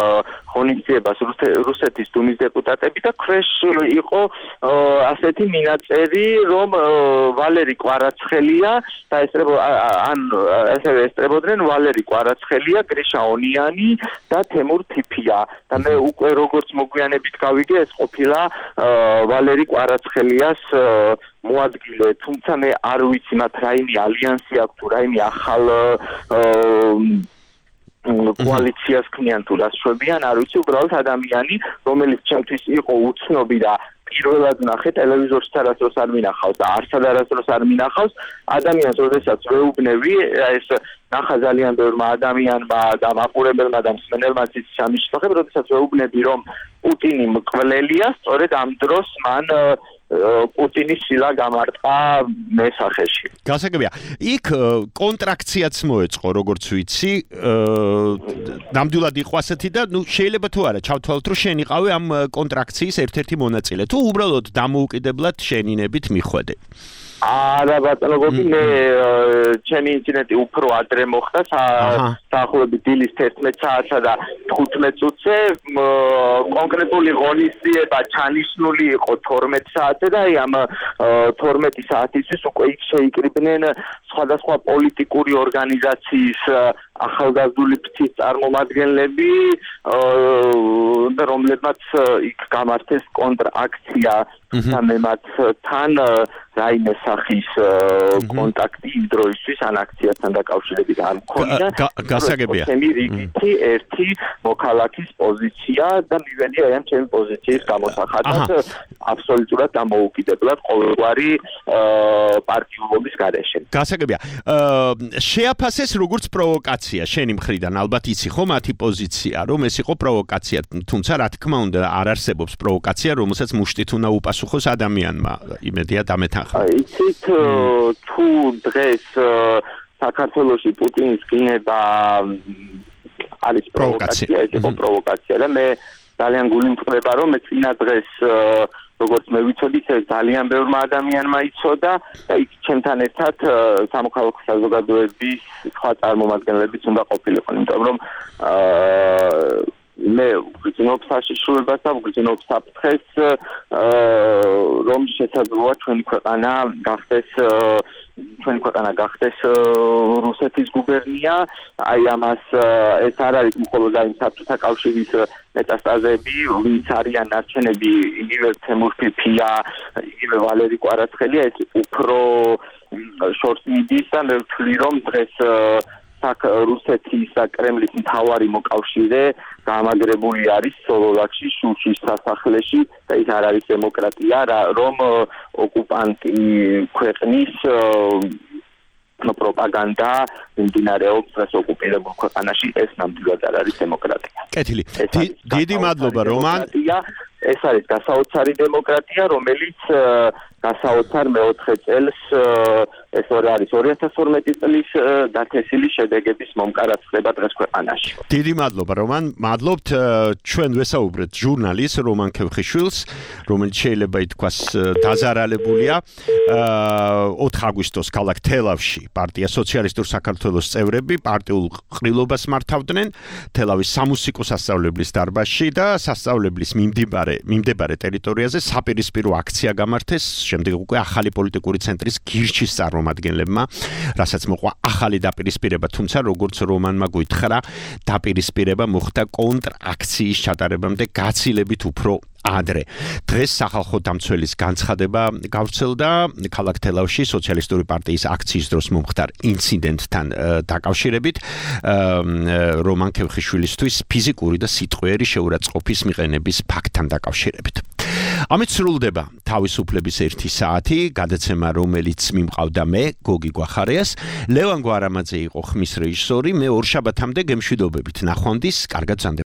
ღონისძიებას რუსეთის დუმის დეპუტატები და ქვეშ იყო ასეთი მინაწერი, რომ ვალერი კვარაცხელია დაესწრებო ან ასევე ესწრებოდნენ ვალერი კვარაცხელია, გრიშა ონიანი და თემურ ფიფია და მე უკვე როგორც მოგვიანებით გავიგე ეს ყოფილა ვალერი კვარაცხელიას მოადგილე, თუმცა მე არ ვიცი მათ რაიმე ალიანსი აქვს თუ რაიმე ახალ კოალიციას ქმნიან თუ რას შვებიან, არ ვიცი, უბრალოდ ადამიანი, რომელიც ჩემთვის იყო უცნობი და პირველად ნახე ტელევიზორში არასდროს არ მინახავს და არსად არასდროს არ მინახავს, ადამიანს როდესაც ვეუბნები, ეს ნახა ძალიან ბევრმა ადამიანმა და მაყურებელმა და მსმენელმა ცის ამის შესახებ, როდესაც ვეუბნები, რომ პუტინი მკვლელია, სწორედ ამ დროს მან პუტინის სილა გამარტყა მესახეში. გასაგებია. იქ კონტრაქციაც მოეწყო, როგორც ვიცი, ნამდვილად იყო ასეთი და ნუ შეიძლება თუ არა ჩავთვალოთ, რომ შენ იყავი ამ კონტრაქციის ერთ-ერთი მონაწილე. თუ უბრალოდ დამოუკიდებლად შენინებით მიხვედე. არა ბატონო გოგი, მე ჩემი ინციდენტი უფრო ადრე მოხდა, საახლოებით დილის თერთმეტ საათსა და თხუთმეტ წუთზე, კონკრეტული ღონისძიება ჩანიშნული იყო თორმეტ საათზე და აი ამ თორმეტი საათისთვის უკვე იქ შეიკრიბნენ სხვადასხვა პოლიტიკური ორგანიზაციის ახალგაზრდული ფრთის წარმომადგენლები, რომლებმაც იქ გამართეს კონტრაქცია სამემათთან რაიმე სახის კონტაქტი იმ დროისთვის ან აქციასთან დაკავშირებით არ მქონია. გასაგებია. ჩემი რიგითი ერთი მოქალაქის პოზიცია და მივედი აი ამ ჩემი პოზიციის გამოსახატად აბსოლუტურად დამოუკიდებლად ყოველგვარი პარტიულობის გარეშე. გასაგებია. შეაფასეს როგორც პროვოკაცია შენი მხრიდან, ალბათ იცი ხო მათი პოზიცია, რომ ეს იყო პროვოკაცია, თუმცა რა თქმა უნდა არ არსებობს პროვოკაცია, რომელსაც მუშტით უნდა უპასუხოს ადამიანმა. იმედია დამეთანხმდა. იცით თუ დღეს საქართველოში პუტინის გინება არის პროვოკაცია, ეს იყო პროვოკაცია და მე ძალიან გულიმწყდება, რომ მე წინა დღეს როგორც მე ვიცოდი, ეს ძალიან ბევრმა ადამიანმა იცოდა და იქ ჩემთან ერთად სამოქალაქო საზოგადოების სხვა წარმომადგენლებიც უნდა ყოფილიყო, იმიტომ რომ მე ვგრძნობ საშიშროებას და ვგრძნობ საფრთხეს, რომ შესაძლოა ჩვენი ქვეყანა გახდეს ჩვენი ქვეყანა გახდეს რუსეთის გუბერნია, აი ამას ეს არ არის მხოლოდ აი საბჭოთა კავშირის მეტასტაზები, ვინც არიან ნარჩენები, იგივე თემურ ფიფია, იგივე ვალერი კვარაცხელია, ეს უფრო შორს მიდის და მე ვთვლი, რომ დღეს რუსეთის და კრემლის მთავარი მოკავშირე გამაგრებული არის სოლოლაკში, შუშის სასახლეში და ის არ არის დემოკრატია, რომ ოკუპანტი ქვეყნის პროპაგანდა მიმდინარეობს დღეს ოკუპირებულ ქვეყანაში, ეს ნამდვილად არ არის დემოკრატია. კეთილი. დიდი მადლობა რომან. ეს არის გასაოცარი დემოკრატია, რომელიც გასაოცარ მეოთხე წელს ეს არის ორი ათას ორმეტი წლის დათესილი შედეგების მომკარად ხდება დღეს ქვეყანაში. დიდი მადლობა რომან, მადლობთ. ჩვენ ვესაუბრეთ ჟურნალისტ რომან ქევხიშვილს, რომელიც შეიძლება ითქვას დაზარალებულია ოთხ აგვისტოს ქალაქ თელავში პარტია სოციალისტურ საქართველოს წევრები პარტიულ ყრილობას მართავდნენ თელავის სამუსიკო სასწავლებლის დარბაზში და სასწავლებლის მიმდებარე მიმდებარე ტერიტორიაზე საპირისპირო აქცია გამართეს, შემდეგ უკვე ახალი პოლიტიკური ცენტრის გირჩის წარმომადგენლები წარმომადგენლებმა, რასაც მოყვა ახალი დაპირისპირება, თუმცა როგორც რომანმა გვითხრა, დაპირისპირება მოხდა კონტრაქციის ჩატარებამდე გაცილებით უფრო ადრე. დღეს სახალხო დამცველის განცხადება გავრცელდა ქალაქ თელავში სოციალისტური პარტიის აქციის დროს მომხდარ ინციდენტთან დაკავშირებით რომან ქევხიშვილისთვის ფიზიკური და სიტყვიერი შეურაცხყოფის მიყენების ფაქტთან დაკავშირებით. ამით სრულდება თავისუფლების ერთი საათი, გადაცემა რომელიც მიმყავდა მე, გოგი გვახარიას, ლევან გვარამაძე იყო ხმის რეჟისორი, მე ორ შაბათამდე გემშვიდობებით ნახვამდის, კარგად